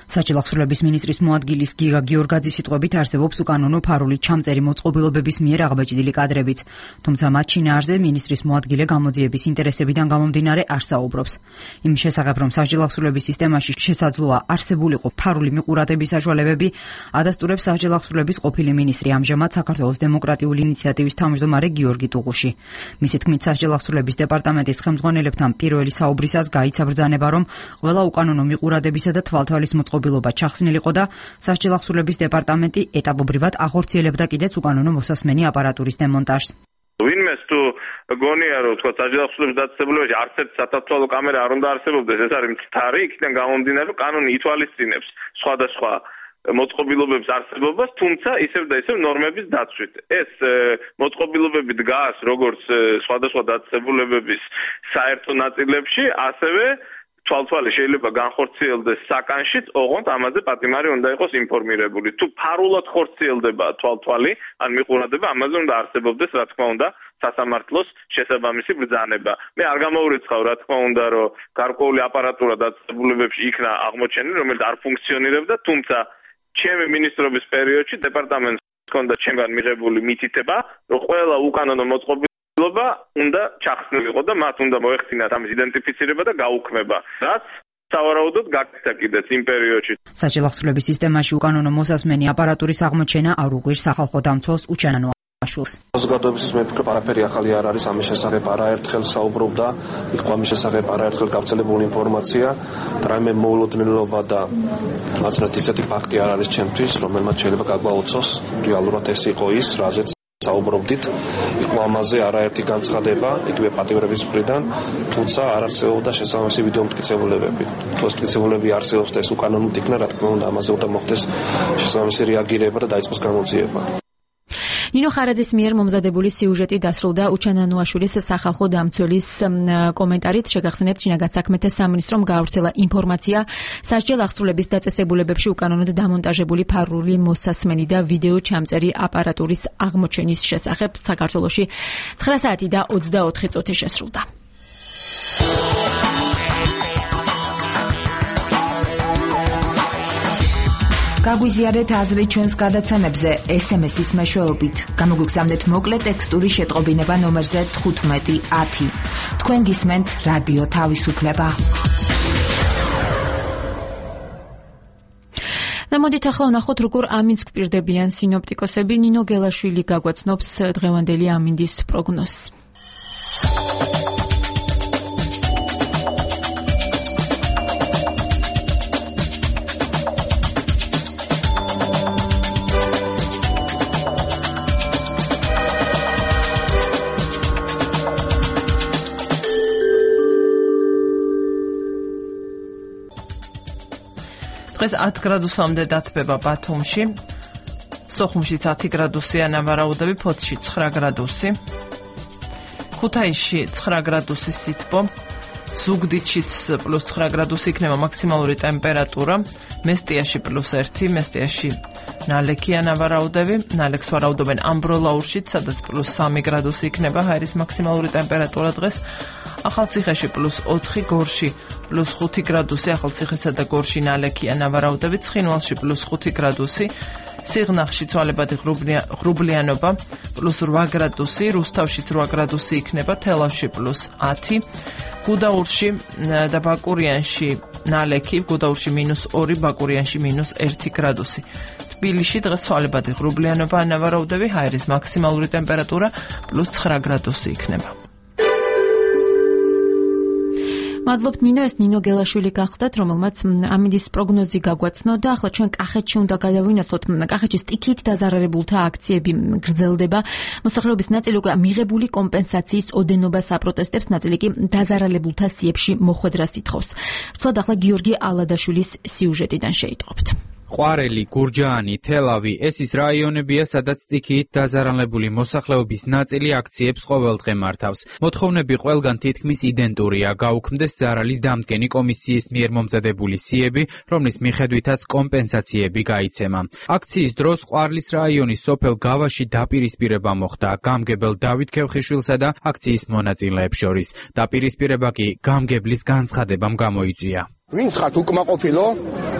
სასჯელ აღსრულების მინისტრის მოადგილის გიგა გიორგაძის სიტყვებით არსებობს უკანონო ფარული ჩამწერი მოწყობილობების მიერ აღბეჭდილი კადრებიც, თუმცა მათ შინაარსზე მინისტრის მოადგილე გამოძიების ინტერესებიდან გამომდინარე არ საუბრობს. იმის შესახებ, რომ სასჯელ აღსრულების სისტემაში შესაძლოა არსებულიყო ფარული მიყურადების საშუალებები, ადასტურებს სასჯელ აღსრულების ყოფილი მინისტრი, ამჟამად საქართველოს დემოკრატიული ინიციატივის თავმჯდომარე გიორგი ტუღუში. მისი თქმით, სასჯელ აღსრულების დეპარტამენტის ხელმძღვანელებთან პირველი საუბრისას გაიცა ბრძანება, რომ ყველა უკანონო მიყურადებისა და თვალთვალის მოწყობილობა ჩახსნილიყო და სასჯელ აღსრულების დეპარტამენტი ეტაპობრივად ახორციელებდა კიდეც უკანონო მოსასმენი აპარატურის დემონტაჟს. ვინმეს თუ გონია რომ თქვა სასჯელ აღსრულების დაწესებულებაში არც ერთი სათვალთვალო კამერა არ უნდა არსებობდეს, ეს არის მცდარი, იქიდან გამომდინარე რომ კანონი ითვალისწინებს სხვადასხვა მოწყობილობების არსებობას, თუმცა ისევ და ისევ ნორმების დაცვით. ეს მოწყობილობები დგას როგორც სხვადასხვა დაწესებულებების საერთო ნაწილებში, ასევე თვალთვალი შეიძლება განხორციელდეს საკანშიც, ოღონდ ამაზე პატიმარი უნდა იყოს ინფორმირებული. თუ ფარულად ხორციელდება თვალთვალი, ან მიყურადება, ამაზე უნდა არსებობდეს, რა თქმა უნდა, სასამართლოს შესაბამისი ბრძანება. მე არ გამოურიცხავ, რა თქმა უნდა, რომ გარკვეული აპარატურა დაწესებულებებში იქნა აღმოჩენილი, რომელიც არ ფუნქციონირებდა, თუმცა ჩემი მინისტრობის პერიოდში დეპარტამენტს ჰქონდა ჩემგან მიღებული მითითება, რომ ყველა უკანონო მოწყობილობა უნდა ჩახსნილიყო და მათ უნდა მოეხსინათ ამის იდენტიფიცირება და გაუქმება. რაც სავარაუდოდ გაკეთა კიდეც იმ პერიოდში. სასჯელ აღსრულების სისტემაში უკანონო მოსასმენი აპარატურის აღმოჩენა არ უგვირს სახალხო დამცველს უჩანანო აშულს. საზოგადოებისთვის მე ვფიქრობ, არაფერი ახალი არ არის ამის შესახებ, არაერთხელ საუბრობდა, იყო ამის შესახებ არაერთხელ გავრცელებული ინფორმაცია, რაიმე მოულოდნელობა და მაცნეთ ისეთი ფაქტი არ არის ჩემთვის, რომელმაც შეიძლება გაგვაუცოს რეალურად ეს იყო ის, რაზეც საუბრობდით, იყო ამაზე არაერთი განცხადება, იგივე პატიმრების მხრიდან, თუმცა არ არსებობდა შესაბამისი ვიდეო მტკიცებულებები. თუ ეს მტკიცებულებები არსებობს და ეს უკანონოდ იქნა, რა თქმა უნდა, ამაზე უნდა მოხდეს შესაბამისი რეაგირება და დაიწყოს გამოძიება. ნინო ხარაძის მიერ მომზადებული სიუჟეტი დასრულდა უჩანანოაშვილის სახალხო დამცველის კომენტარით. შეგახსენებთ, შინაგან საქმეთა სამინისტრომ გაავრცელა ინფორმაცია სასჯელ აღსრულების დაწესებულებებში უკანონოდ დამონტაჟებული ფარული მოსასმენი და ვიდეო ჩამწერი აპარატურის აღმოჩენის შესახებ. საქართველოში 9 საათი და 24 წუთი შესრულდა. გაგვიზიარეთ აზრი ჩვენს გადაცემებზე SMS-ის მეშვეობით. გამოგვიგზავნეთ მოკლე ტექსტური შეტყობინება ნომერზე 1510. თქვენ გისმენთ რადიო თავისუფლება. მოდით ახლა ვნახოთ როგორ ამინდს გვპირდებიან სინოპტიკოსები. ნინო გელაშვილი გაგვაცნობს დღევანდელი ამინდის პროგნოზს. დღეს 10 გრადუსამდე დათბება ბათუმში, სოხუმშიც 10 გრადუსია ნავარაუდები, ფოთში 9 გრადუსი, ქუთაისში 9 გრადუსი სითბო, ზუგდიდშიც +9 გრადუსი იქნება მაქსიმალური ტემპერატურა, მესტიაში +1, მესტიაში ნალექია ნავარაუდები, ნალექს ვარაუდობენ ამბროლაურშიც, სადაც +3 გრადუსი იქნება ჰაერის მაქსიმალური ტემპერატურა დღეს, ახალციხეში +4, გორში +5 გრადუსი, ახალციხესა და გორში ნალექია ნავარაუდები, ცხინვალში +5 გრადუსი, სიღნაღში ცვალებადი ღრუბლიანობა +8 გრადუსი, რუსთავში 8 გრადუსი იქნება, თელავში +10, გუდაურში და ბაკურიანში ნალექი, გუდაურში -2, ბაკურიანში -1 გრადუსი. თბილისში დღეს ცვალებადი ღრუბლიანობა ნავარაუდები, ჰაერის მაქსიმალური ტემპერატურა +9 გრადუსი იქნება. მადლობთ ნინო, ეს ნინო გელაშვილი გახდათ, რომელმაც ამინდის პროგნოზი გაგვაცნო და ახლა ჩვენ კახეთში უნდა გადავინახოთ. კახეთში სტიქიით დაზარალებულთა აქციები გრძელდება. მოსახლეობის ნაწილი უკვე მიღებული კომპენსაციის ოდენობას აპროტესტებს, ნაწილი კი დაზარალებულთა სიებში მოხვედრას ითხოვს. ვრცლად ახლა გიორგი ალადაშვილის სიუჟეტიდან შეიტყობთ. ყვარელი, გურჯაანი, თელავი, ეს ის რაიონებია, სადაც სტიქიით დაზარალებული მოსახლეობის ნაწილი აქციებს ყოველდღე მართავს. მოთხოვნები ყველგან თითქმის იდენტურია, გაუქმდეს ზარალის დამდგენი კომისიის მიერ მომზადებული სიები, რომლის მიხედვითაც კომპენსაციები გაიცემა. აქციის დროს ყვარლის რაიონის სოფელ გავაში დაპირისპირება მოხდა გამგებელ დავით ქევხიშვილსა და აქციის მონაწილეებს შორის. დაპირისპირება კი გამგებლის განცხადებამ გამოიწვია. ვინც ხართ უკმაყოფილო,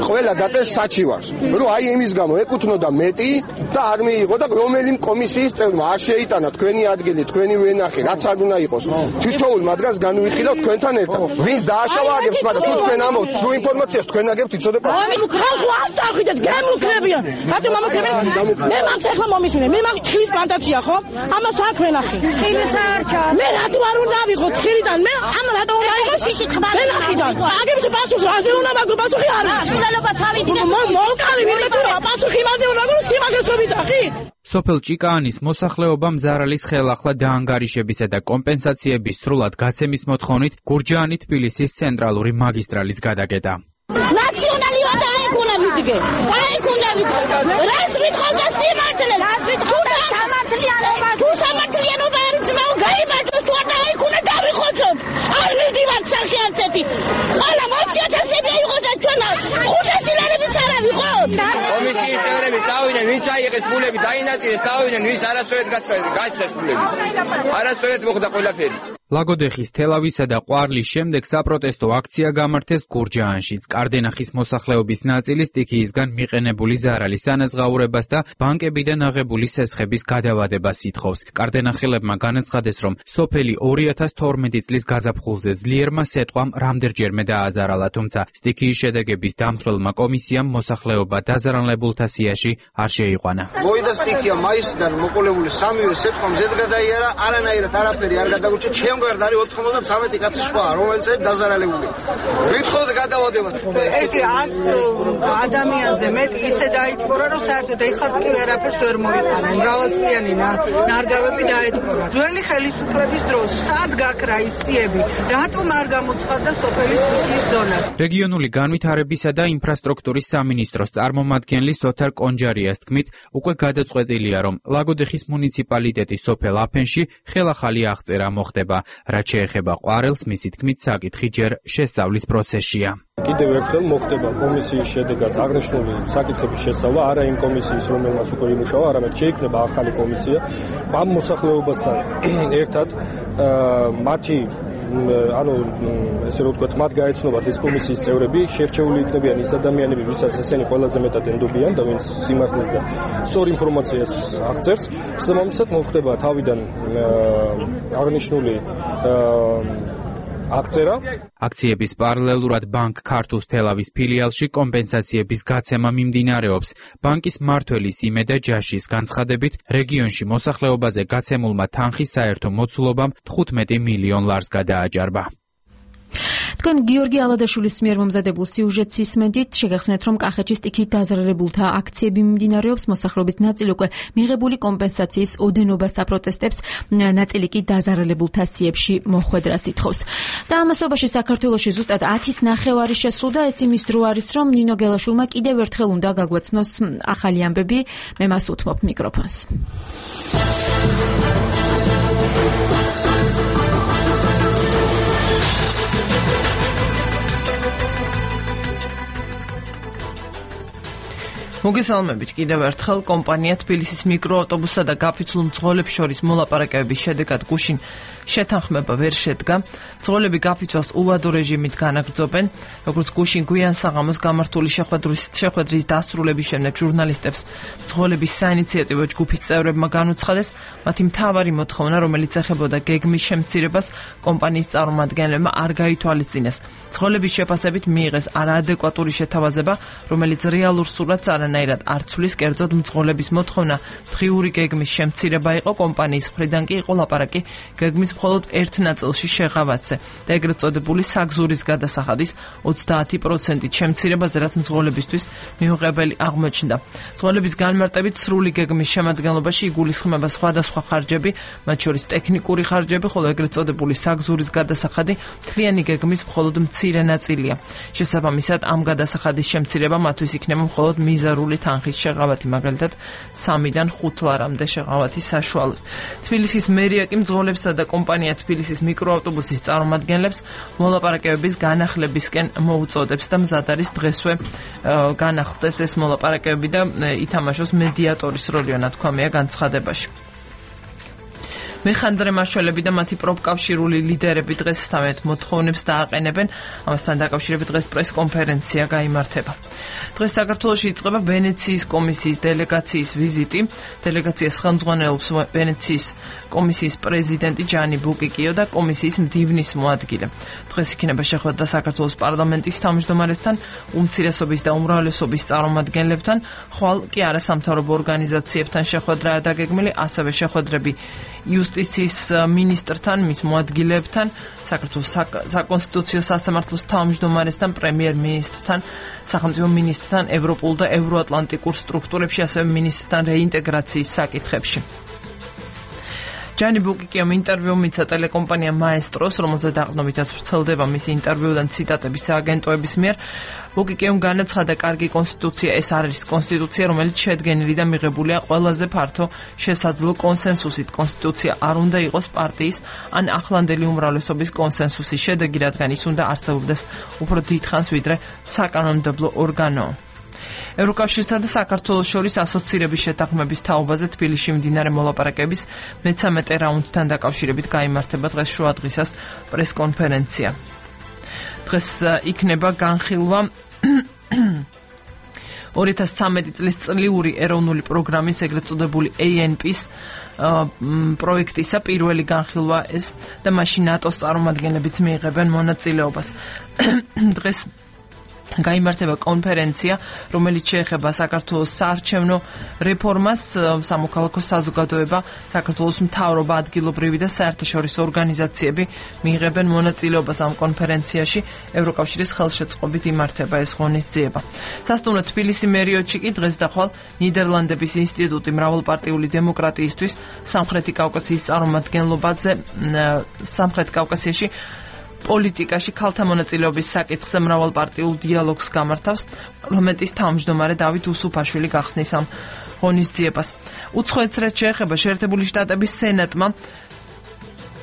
ყველა დაწეს საჩივარს, რომ აი იმის გამო ეკუთვნოდა მეტი და არ მიიღო და რომელი კომისიის წევრმა არ შეიტანა თქვენი ადგილი, თქვენი ვენახი, რაც არ უნდა იყოს. თითოეულ მათგანს განვიხილავ თქვენთან ერთად. ვინც დააშავა აგებს, მაგრამ თუ თქვენ ამბობთ სრულ ინფორმაციას, თქვენ აგებთ იცოდეთ. აი ხალხო არ წახვიდეთ, გემუქრებიან. რატომ ამოქრებიან? მე მაგ ახლა მომისმინე, მე მაგ თხილის პლანტაცია ხო? ამას აქ ვენახი. თხილის არჩა. მე რატო არ უნდა ავიღო თხილიდან? მე ამ რატო უნდა ავიღო შიშიტყბა? ვენახიდან. აგებს პასუხს რაზე უნდა მაგო პასუხი არ არის. სულელობა თავიდი და მოვკალი ვინმე თუ პასუხი მაზე უნდა გულს თიმაგესობით ახი. სოფელ ჭიკაანის მოსახლეობამ ზარალის ხელახლა დაანგარიშებისა და კომპენსაციების სრულად გაცემის მოთხოვნით გურჯაანი თბილისის ცენტრალური მაგისტრალის გადაკეტა. ნაციონალი ვადა აიქუნა ვიდგე. აიქუნა ვიდგე. რას ვითხავ და სიმართლე? რას ვითხავ და სამართლიანობა? თუ სამართლიანობა არის ძმაო, გაიმართო თუ არ დაიქუნა დავიხოცოთ. არ მივდივართ სახეაცეთი. ყველა 20.000 იყოს და ჩვენ 500 ლარებიც არ ავიღოთ. კომისიის წევრები წავიდნენ, ვინც აიღეს ფულები, დაინაწილეს, წავიდნენ, ვინც არასწორად გაიცეს ფულები. არასწორად მოხდა ყველაფერი. ლაგოდეხის, თელავისა და ყვარლის შემდეგ საპროტესტო აქცია გამართეს გურჯაანშიც. კარდენახის მოსახლეობის ნაწილი სტიქიისგან მიყენებული ზარალის ანაზღაურებას და ბანკებიდან აღებული სესხების გადავადებას ითხოვს. კარდენახელებმა განაცხადეს, რომ სოფელი 2012 წლის გაზაფხულზე ძლიერმა სეტყვამ რამდენჯერმე დააზარალა, თუმცა სტიქიის შედეგების დამცველმა კომისიამ მოსახლეობა დაზარალებულთა სიაში არ შეიყვანა. მოვიდა სტიქია მაისიდან მოყოლებული 3-ვე სეტყვამ ზედ გადაიარა, არანაირად არაფერი არ გადაგურჩა. ჩემგვარად არის 93 კაცი სხვა, რომელიც არის დაზარალებული. ვითხოვთ გადავადებას. ერთი 100 ადამიანზე მეტი ისე დაიტყორა, რომ საერთოდ ეხლაც კი ვერაფერს ვერ მოიყანა. მრავალწლიანი ნარგავები დაეტყორა. ძველი ხელისუფლების დროს სად გაქრა ის სიები? რატომ არ გამოცხადდა სოფელი სტიქიის ზონა? რეგიონული განვითარებისა და ინფრასტრუქტურის სამინისტროს წარმომადგენლის ოთარ კონჯარიას თქმით, უკვე გადაწყვეტილია, რომ ლაგოდეხის მუნიციპალიტეტის სოფელ აფენში ხელახალი აღწერა მოხდება. რაც შეეხება ყვარელს, მისი თქმით, საკითხი ჯერ შესწავლის პროცესშია. კიდევ ერთხელ მოხდება კომისიის შედეგად აღნიშნული საკითხების შესწავლა, არა იმ კომისიის, რომელმაც უკვე იმუშავა, არამედ შეიქმნება ახალი კომისია. ამ მოსახლეობასთან ერთად მათი ანუ ესე რომ ვთქვათ, მათ გაეცნობათ ეს კომისიის წევრები, შერჩეული იქნებიან ის ადამიანები, ვისაც ესენი ყველაზე მეტად ენდობიან და ვინც სიმართლეს და სწორ ინფორმაციას აღწერს. შესაბამისად მოხდება თავიდან აღნიშნული აღწერა. აქციების პარალელურად ბანკ ქართულ თელავის ფილიალში კომპენსაციების გაცემა მიმდინარეობს. ბანკის მმართველის იმედა ჯაშის განცხადებით, რეგიონში მოსახლეობაზე გაცემულმა თანხის საერთო მოცულობამ 15 მილიონ ლარს გადააჭარბა. თქვენ გიორგი ალადაშვილის მიერ მომზადებულ სიუჟეტს ისმენთ, შეგახსენეთ, რომ კახეთში სტიქით დაზარალებულთა აქციები მიმდინარეობს, მოსახლეობის ნაწილი უკვე მიღებული კომპენსაციის ოდენობას აპროტესტებს, ნაწილი კი დაზარალებულთა სიებში მოხვედრას ითხოვს. და ამასობაში საქართველოში ზუსტად 10:09 შესრულდა, ეს იმის დრო არის, რომ ნინო გელაშვილმა კიდევ ერთხელ უნდა გაგვაცნოს ახალი ამბები, მე მას უთმობ მიკროფონს. მოგესალმებით კიდევ ერთხელ. კომპანია თბილისის მიკროავტობუსსა და გაფიცულ მძღოლებს შორის მოლაპარაკებების შედეგად გუშინ შეთანხმება ვერ შედგა. მძღოლები გაფიცვას უვადო რეჟიმით განაგრძობენ. როგორც გუშინ გვიან საღამოს გამართული შეხვედრის დასრულების შემდეგ ჟურნალისტებს მძღოლების საინიციატივო ჯგუფის წევრებმა განუცხადეს, მათი მთავარი მოთხოვნა, რომელიც ეხებოდა გეგმის შემცირებას, კომპანიის წარმომადგენლებმა არ გაითვალისწინეს. მძღოლების შეფასებით მიიღეს არაადეკვატური შეთავაზება, რომელიც რეალურ სურათს არანაირად არ ცვლის, კერძოდ მძღოლების მოთხოვნა დღიური გეგმის შემცირება იყო, კომპანიის მხრიდან კი იყო ლაპარაკი გეგმის მხოლოდ ერთ ნაწილში შეღავათზე და ეგრეთ წოდებული საგზურის გადასახადის 30%-ით შემცირებაზე, რაც მძღოლებისთვის მიუღებელი აღმოჩნდა. მძღოლების განმარტებით სრული გეგმის შემადგენლობაში იგულისხმება სხვადასხვა ხარჯები, მათ შორის ტექნიკური ხარჯები, ხოლო ეგრეთ წოდებული საგზურის გადასახადი მთლიანი გეგმის მხოლოდ მცირე ნაწილია. შესაბამისად, ამ გადასახადის შემცირება მათთვის იქნება მხოლოდ მიზარული თანხის შეღავათი, მაგალითად 3-დან 5 ლარამდე შეღავათის საშუალოდ. თბილისის მერია კი მძღოლებსა და კომპანია თბილისის მიკროავტობუსის წარმომადგენლებს მოლაპარაკებების განახლებისკენ მოუწოდებს და მზად არის დღესვე განახლდეს ეს მოლაპარაკებები და ითამაშოს მედიატორის როლი, ნათქვამია განცხადებაში. მეხანდრე მაშველები და მათი პროფკავშირული ლიდერები დღეს თავიანთ მოთხოვნებს დააყენებენ. ამასთან დაკავშირებით დღეს პრესკონფერენცია გაიმართება. დღეს საქართველოში იწყება ვენეციის კომისიის დელეგაციის ვიზიტი. დელეგაციას ხელმძღვანელობს ვენეციის კომისიის პრეზიდენტი ჯანი ბუკიკიო და კომისიის მდივნის მოადგილე. დღეს იქნება შეხვედრა საქართველოს პარლამენტის თავმჯდომარესთან, უმცირესობის და უმრავლესობის წარმომადგენლებთან, ხვალ კი არასამთავრობო ორგანიზაციებთან შეხვედრაა დაგეგმილი, ასევე შეხვედრები იუსტიციის მინისტრთან, მის მოადგილებთან, საქართველოს საკონსტიტუციო სასამართლოს თავმჯდომარესთან, პრემიერ-მინისტრთან, სახელმწიფო მინისტრთან, ევროპულ და ევროატლანტიკურ სტრუქტურებში, ასევე მინისტრთან რეინტეგრაციის საკითხებში. ჯანი ბუკიკიომ ინტერვიუ მიცა ტელეკომპანია მაესტროს, რომელზეც დაყრდნობითაც ვრცელდება მისი ინტერვიუდან ციტატები სააგენტოების მიერ. ბუკიკიომ განაცხადა, კარგი კონსტიტუცია ეს არის კონსტიტუცია, რომელიც შედგენილი და მიღებულია ყველაზე ფართო შესაძლო კონსენსუსით. კონსტიტუცია არ უნდა იყოს პარტიის ან ახლანდელი უმრავლესობის კონსენსუსის შედეგი, რადგან ის უნდა არსებობდეს უფრო დიდხანს, ვიდრე საკანონმდებლო ორგანო. ევროკავშირსა და საქართველოს შორის ასოცირების შეთანხმების თაობაზე თბილისში მიმდინარე მოლაპარაკების მე-13 რაუნდთან დაკავშირებით გაიმართება დღეს შუადღისას პრესკონფერენცია. დღეს იქნება განხილვა 2013 წლის წლიური ეროვნული პროგრამის, ეგრეთ წოდებული ANP-ის პროექტისა პირველი განხილვა ეს და მაშინ ნატოს წარმომადგენლებიც მიიღებენ მონაწილეობას. დღეს გაიმართება კონფერენცია, რომელიც შეეხება საქართველოს საარჩევნო რეფორმას, სამოქალაქო საზოგადოება, საქართველოს მთავრობა, ადგილობრივი და საერთაშორისო ორგანიზაციები მიიღებენ მონაწილეობას ამ კონფერენციაში. ევროკავშირის ხელშეწყობით იმართება ეს ღონისძიება. სასტუმრო თბილისი მერიოტში კი დღეს და ხვალ ნიდერლანდების ინსტიტუტი მრავალპარტიული დემოკრატიისთვის სამხრეთი კავკასიის წარმომადგენლობაზე სამხრეთ კავკასიაში პოლიტიკაში ქალთა მონაწილეობის საკითხზე მრავალპარტიულ დიალოგს გამართავს. პარლამენტის თავმჯდომარე დავით უსუფაშვილი გახსნის ამ ღონისძიებას. უცხოეთს რაც შეეხება, შეერთებული შტატების სენატმა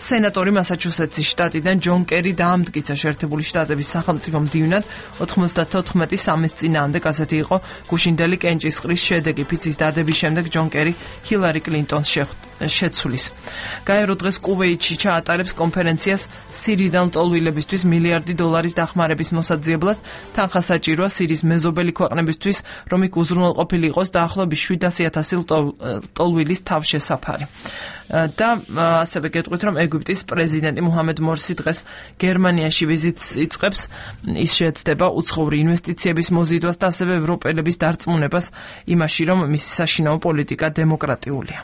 სენატორი მასაჩუსეტსის შტატიდან ჯონ კერი დაამტკიცა შეერთებული შტატების სახელმწიფო მდივნად 94-3-ის წინააღმდეგ ასეთი იყო გუშინდელი კენჭისყრის შედეგი. ფიცის დადების შემდეგ ჯონ კერი ჰილარი კლინტონს შეცვლის. გაერო დღეს კუვეიტში ჩაატარებს კონფერენციას სირიდან ლტოლვილებისთვის $1 მილიარდი დახმარების მოსაძიებლად. თანხა საჭიროა სირიის მეზობელი ქვეყნებისთვის, რომ იქ უზრუნველყოფილი იყოს დაახლოებით 700,000 ლტოლვილის თავშესაფარი. და ასევე გეტყვით, რომ ეგვიპტის პრეზიდენტი მუჰამედ მორსი დღეს გერმანიაში ვიზიტს იწყებს. ის შეეცდება უცხოური ინვესტიციების მოზიდვას და ასევე ევროპელების დარწმუნებას იმაში, რომ მისი საშინაო პოლიტიკა დემოკრატიულია.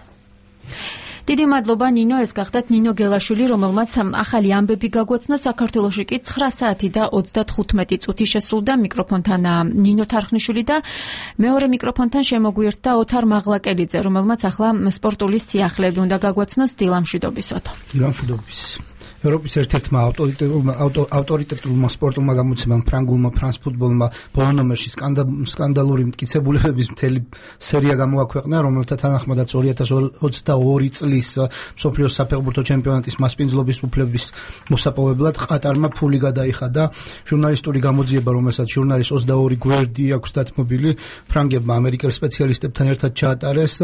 დიდი მადლობა ნინო, ეს გახდათ ნინო გელაშვილი, რომელმაც ახალი ამბები გაგვაცნო. საქართველოში კი 9 საათი და 35 წუთი შესრულდა. მიკროფონთან ნინო თარხნიშვილი და მეორე მიკროფონთან შემოგვიერთდა ოთარ მაღლაკელიძე, რომელმაც ახლა სპორტული სიახლეები უნდა გაგვაცნოს. დილამშვიდობისოთ. დილამშვიდობის. ევროპის ერთ-ერთმა ავტორიტეტულმა სპორტულმა გამოცემამ ფრანგულმა ფრანს ფუტბოლმა ბოლო ნომერში სკანდალური მტკიცებულებების მთელი სერია გამოაქვეყნა, რომელთა თანახმადაც 2022 წლის მსოფლიოს საფეხბურთო ჩემპიონატის მასპინძლობის უფლების მოსაპოვებლად ყატარმა ფული გადაიხადა. ჟურნალისტური გამოძიება, რომელსაც ჟურნალის 22 გვერდი აქვს დათმობილი, ფრანგებმა ამერიკელ სპეციალისტებთან ერთად ჩაატარეს.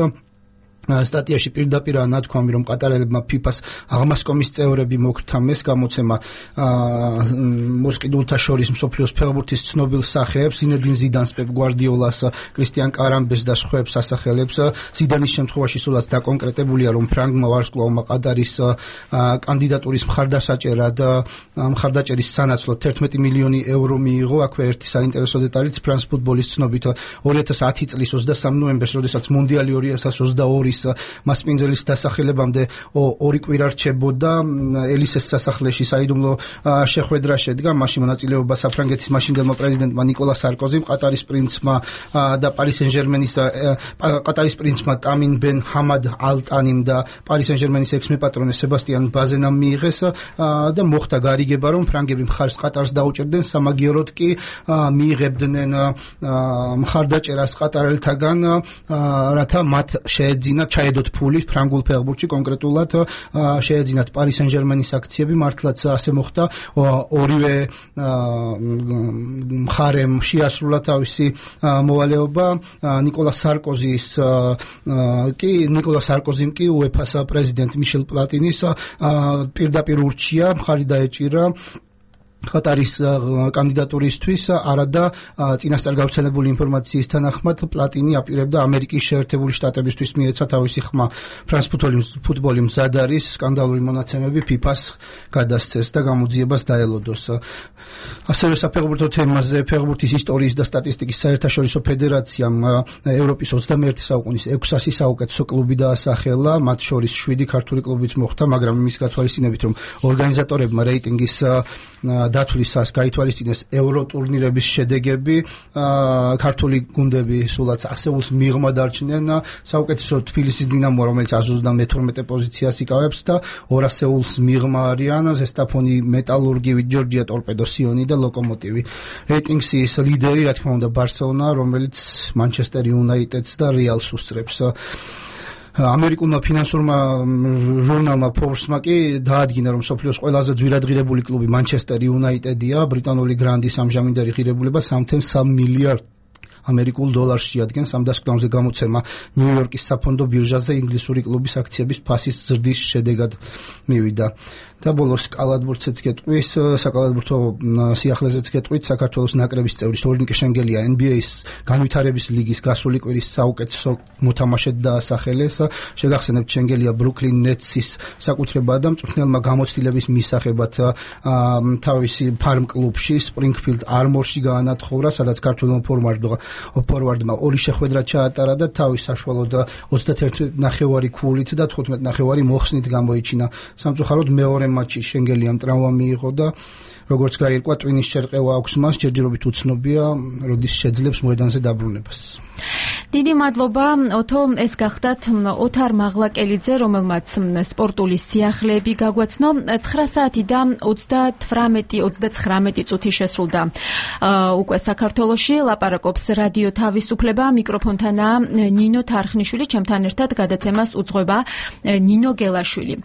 სტატიაში პირდაპირაა ნათქვამი, რომ ყატარელებმა ფიფას აღმასკომის წევრები მოგვცა მეს გამოცემა მოსყიდულთა შორის მსოფლიოს ფეხბურთის ცნობილ სახეებს, ზინედინ ზიდანს, პეპ გვარდიოლას, კრისტიან კარამბეს და სხვებს ასახელებს. ზიდანის შემთხვევაში სულაც დაკონკრეტებულია, რომ ფრანგმა ვარსკვლავმა ყატარის კანდიდატურის მხარდაჭერის სანაცვლოდ 11 მილიონი ევრო მიიღო. აქვე ერთი საინტერესო დეტალიც ფრანს ფუტბოლის ცნობით 2010 წლის 23 ნოემბერს, როდესაც მუნდიალი 2022 მასპინძლის დასახელებამდე 2 კვირა რჩებოდა ელისეს სასახლეში საიდუმლო შეხვედრა შედგა. მაშინ მონაწილეობა საფრანგეთის მაშინდელმა პრეზიდენტმა ნიკოლა სარკოზიმ, ყატარის პრინცმა და პარი სენ-ჟერმენის ყატარის პრინცმა ტამინ ბენ ჰამად ალ-ტანიმ და პარი სენ-ჟერმენის ექს-მეპატრონე სებასტიან ბაზენამ მიიღეს და მოხდა გარიგება, რომ ფრანგები მხარს ყატარს დაუჭერდნენ, სამაგიეროდ კი მიიღებდნენ მხარდაჭერას ყატარელთაგან, რათა მათ შეეძინათ ჩაედოთ ფული ფრანგულ ფეხბურთში, კონკრეტულად შეეძინათ პარი სენ-ჟერმენის აქციები. მართლაც ასე მოხდა. ორივე მხარემ შეასრულა თავისი მოვალეობა. ნიკოლა სარკოზიმ კი უეფას პრეზიდენტ მიშელ პლატინის პირდაპირ ურჩია, მხარი დაეჭირა ყატარის კანდიდატურისთვის, არადა წინასწარ გავრცელებული ინფორმაციის თანახმად პლატინი აპირებდა ამერიკის შეერთებული შტატებისთვის მიეცა თავისი ხმა. ფრანს ფუტბოლი მზად არის სკანდალური მონაცემები ფიფას გადასცეს და გამოძიებას დაელოდოს. ასევე საფეხბურთო თემაზე ფეხბურთის ისტორიის და სტატისტიკის საერთაშორისო ფედერაციამ ევროპის 21 საუკუნის 600 საუკეთესო კლუბი დაასახელა, მათ შორის 7 ქართული კლუბიც მოხვდა, მაგრამ იმის გათვალისწინებით, რომ ორგანიზატორებმა რეიტინგის დათვლისას გაითვალისწინეს ევრო ტურნირების შედეგები, ქართული გუნდები სულაც ასეულს მიღმა დარჩნენ. საუკეთესო თბილისის დინამო, რომელიც 132 პოზიციას იკავებს და 200 ასეულს მიღმა არიან ზესტაფონი, მეტალურგი, ჯორჯია ტორპედო, სიონი და ლოკომოტივი. რეიტინგის ლიდერი, რა თქმა უნდა, ბარსელონა, რომელიც მანჩესტერ იუნაიტედს და რეალს უსწრებს. ამერიკულმა ფინანსურმა ჟურნალმა Forbes-მა კი დაადგინა, რომ მსოფლიოს ყველაზე ძვირადღირებული კლუბი მანჩესტერ იუნაიტედია. ბრიტანული გრანდის ამჟამინდელი ღირებულება 3.3 მილიარდ ამერიკულ დოლარს შეადგენს. ამ დასკვნამდე გამოცემა ნიუ-იორკის საფონდო ბირჟაზე ინგლისური კლუბის აქციების ფასის ზრდის შედეგად მივიდა. და ბოლოს კალათბურთზეც გეტყვის, საკალათბურთო სიახლეზეც გეტყვით, საქართველოს ნაკრების წევრი თორნიკე შენგელია NBA-ის განვითარების ლიგის გასული კვირის საუკეთესო მოთამაშედ დაასახელეს. შეგახსენებთ, შენგელია ბრუკლინ ნეტსის საკუთრებაა და მწვრთნელმა გამოცდილების მისაღებად თავისი ფარმ კლუბში სპრინგფილდ არმორში გაანათხოვრა, სადაც ქართველმა ფორვარდმა 2 შეხვედრა ჩაატარა და თავის საშუალოდ 31.5 ქულით და 15.5 მოხსნით გამოიჩინა. სამწუხაროდ მეორე მატჩში შენგელიამ ტრავმა მიიღო და როგორც გაირკვა, ტვინის შერყევა აქვს მას, ჯერჯერობით უცნობია, როდის შეძლებს მოედანზე დაბრუნებას. დიდი მადლობა ოთო, ეს გახდათ ოთარ მაღლაკელიძე, რომელმაც სპორტული სიახლეები გაგვაცნო. 9 საათი და 39 წუთი შესრულდა უკვე საქართველოში. ლაპარაკობს რადიო თავისუფლება, მიკროფონთანაა ნინო თარხნიშვილი, ჩემთან ერთად გადაცემას უძღვება ნინო გელაშვილი.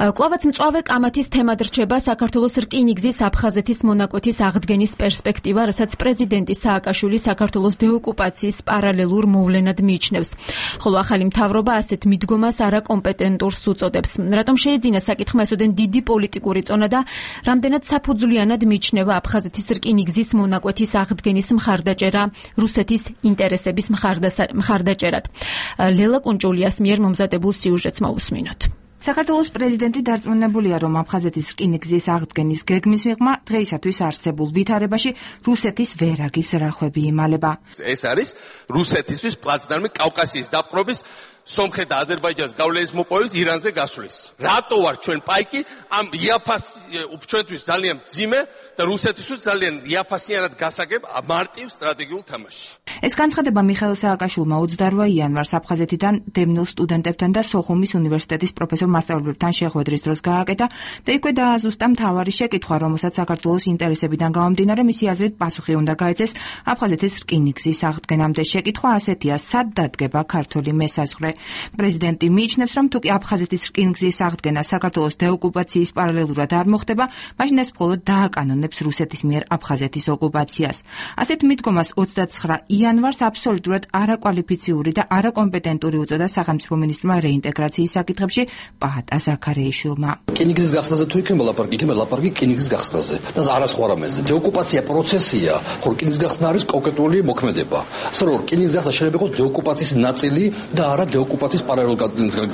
კვლავაც მწვავე კამათის თემად რჩება საქართველოს რკინიგზის აფხაზეთის მონაკვეთის აღდგენის პერსპექტივა, რასაც პრეზიდენტი სააკაშვილი საქართველოს დეოკუპაციის პარალელურ მოვლენად მიიჩნევს. ხოლო ახალი მთავრობა ასეთ მიდგომას არაკომპეტენტურს უწოდებს. რატომ შეიძინა საკითხმა ესოდენ დიდი პოლიტიკური წონა და რამდენად საფუძვლიანად მიიჩნევა აფხაზეთის რკინიგზის მონაკვეთის აღდგენის მხარდაჭერა რუსეთის ინტერესების მხარდაჭერად. ლელა კუნჭულიას მიერ მომზადებულ სიუჟეტს მოვუსმინოთ. საქართველოს პრეზიდენტი დარწმუნებულია, რომ აფხაზეთის რკინიგზის აღდგენის გეგმის მიღმა დღეისათვის არსებულ ვითარებაში რუსეთის ვერაგის რახვები იმალება. ეს არის რუსეთისთვის პლაცდარმი კავკასიის დაპყრობის, სომხეთ და აზერბაიჯანის გავლენის მოპოვების, ირანზე გასვლის. რატო ვარ ჩვენ პაიკი? ამ იაფას ჩვენთვის ძალიან ძიმე და რუსეთისთვის ძალიან იაფასიანად გასაგებ მარტივ სტრატეგიულ თამაში. ეს განცხადება მიხეილ სააკაშვილმა 28 იანვარს აფხაზეთიდან დევნილ სტუდენტებთან და სოხუმის უნივერსიტეტის პროფესორ მასწავლებლებთან შეხვედრის დროს გააკეთა და იქვე დააზუსტა მთავარი შეკითხვა, რომელსაც საქართველოს ინტერესებიდან გამომდინარე მისი აზრით პასუხი უნდა გაეცეს აფხაზეთის რკინიგზის აღდგენამდე. შეკითხვა ასეთია: სად დადგება ქართული მესაზღვრე? პრეზიდენტი მიიჩნევს, რომ თუკი აფხაზეთის რკინიგზის აღდგენა საქართველოს დეოკუპაციის პარალელურად არ მოხდება, მაშინ ეს მხოლოდ დააკანონებს რუსეთის მიერ აფხაზეთის ოკუპაციას. ასეთ მიდგომას 29 იანვარს აბსოლუტურად არაკვალიფიციური და არაკომპეტენტური უწოდა სახელმწიფო მინისტრმა რეინტეგრაციის საკითხებში პაატა ზაქარეიშვილმა. რკინიგზის გახსნაზე თუ იქნება ლაპარაკი, იქნება ლაპარაკი რკინიგზის გახსნაზე და არა სხვა რამეზე. დეოკუპაცია პროცესია, ხო რკინიგზის გახსნა არის კონკრეტული მოქმედება. ასე რომ რკინიგზის გახსნა შეიძლება იყოს დეოკუპაციის ნაწილი და არა დეოკუპაციის პარალელურად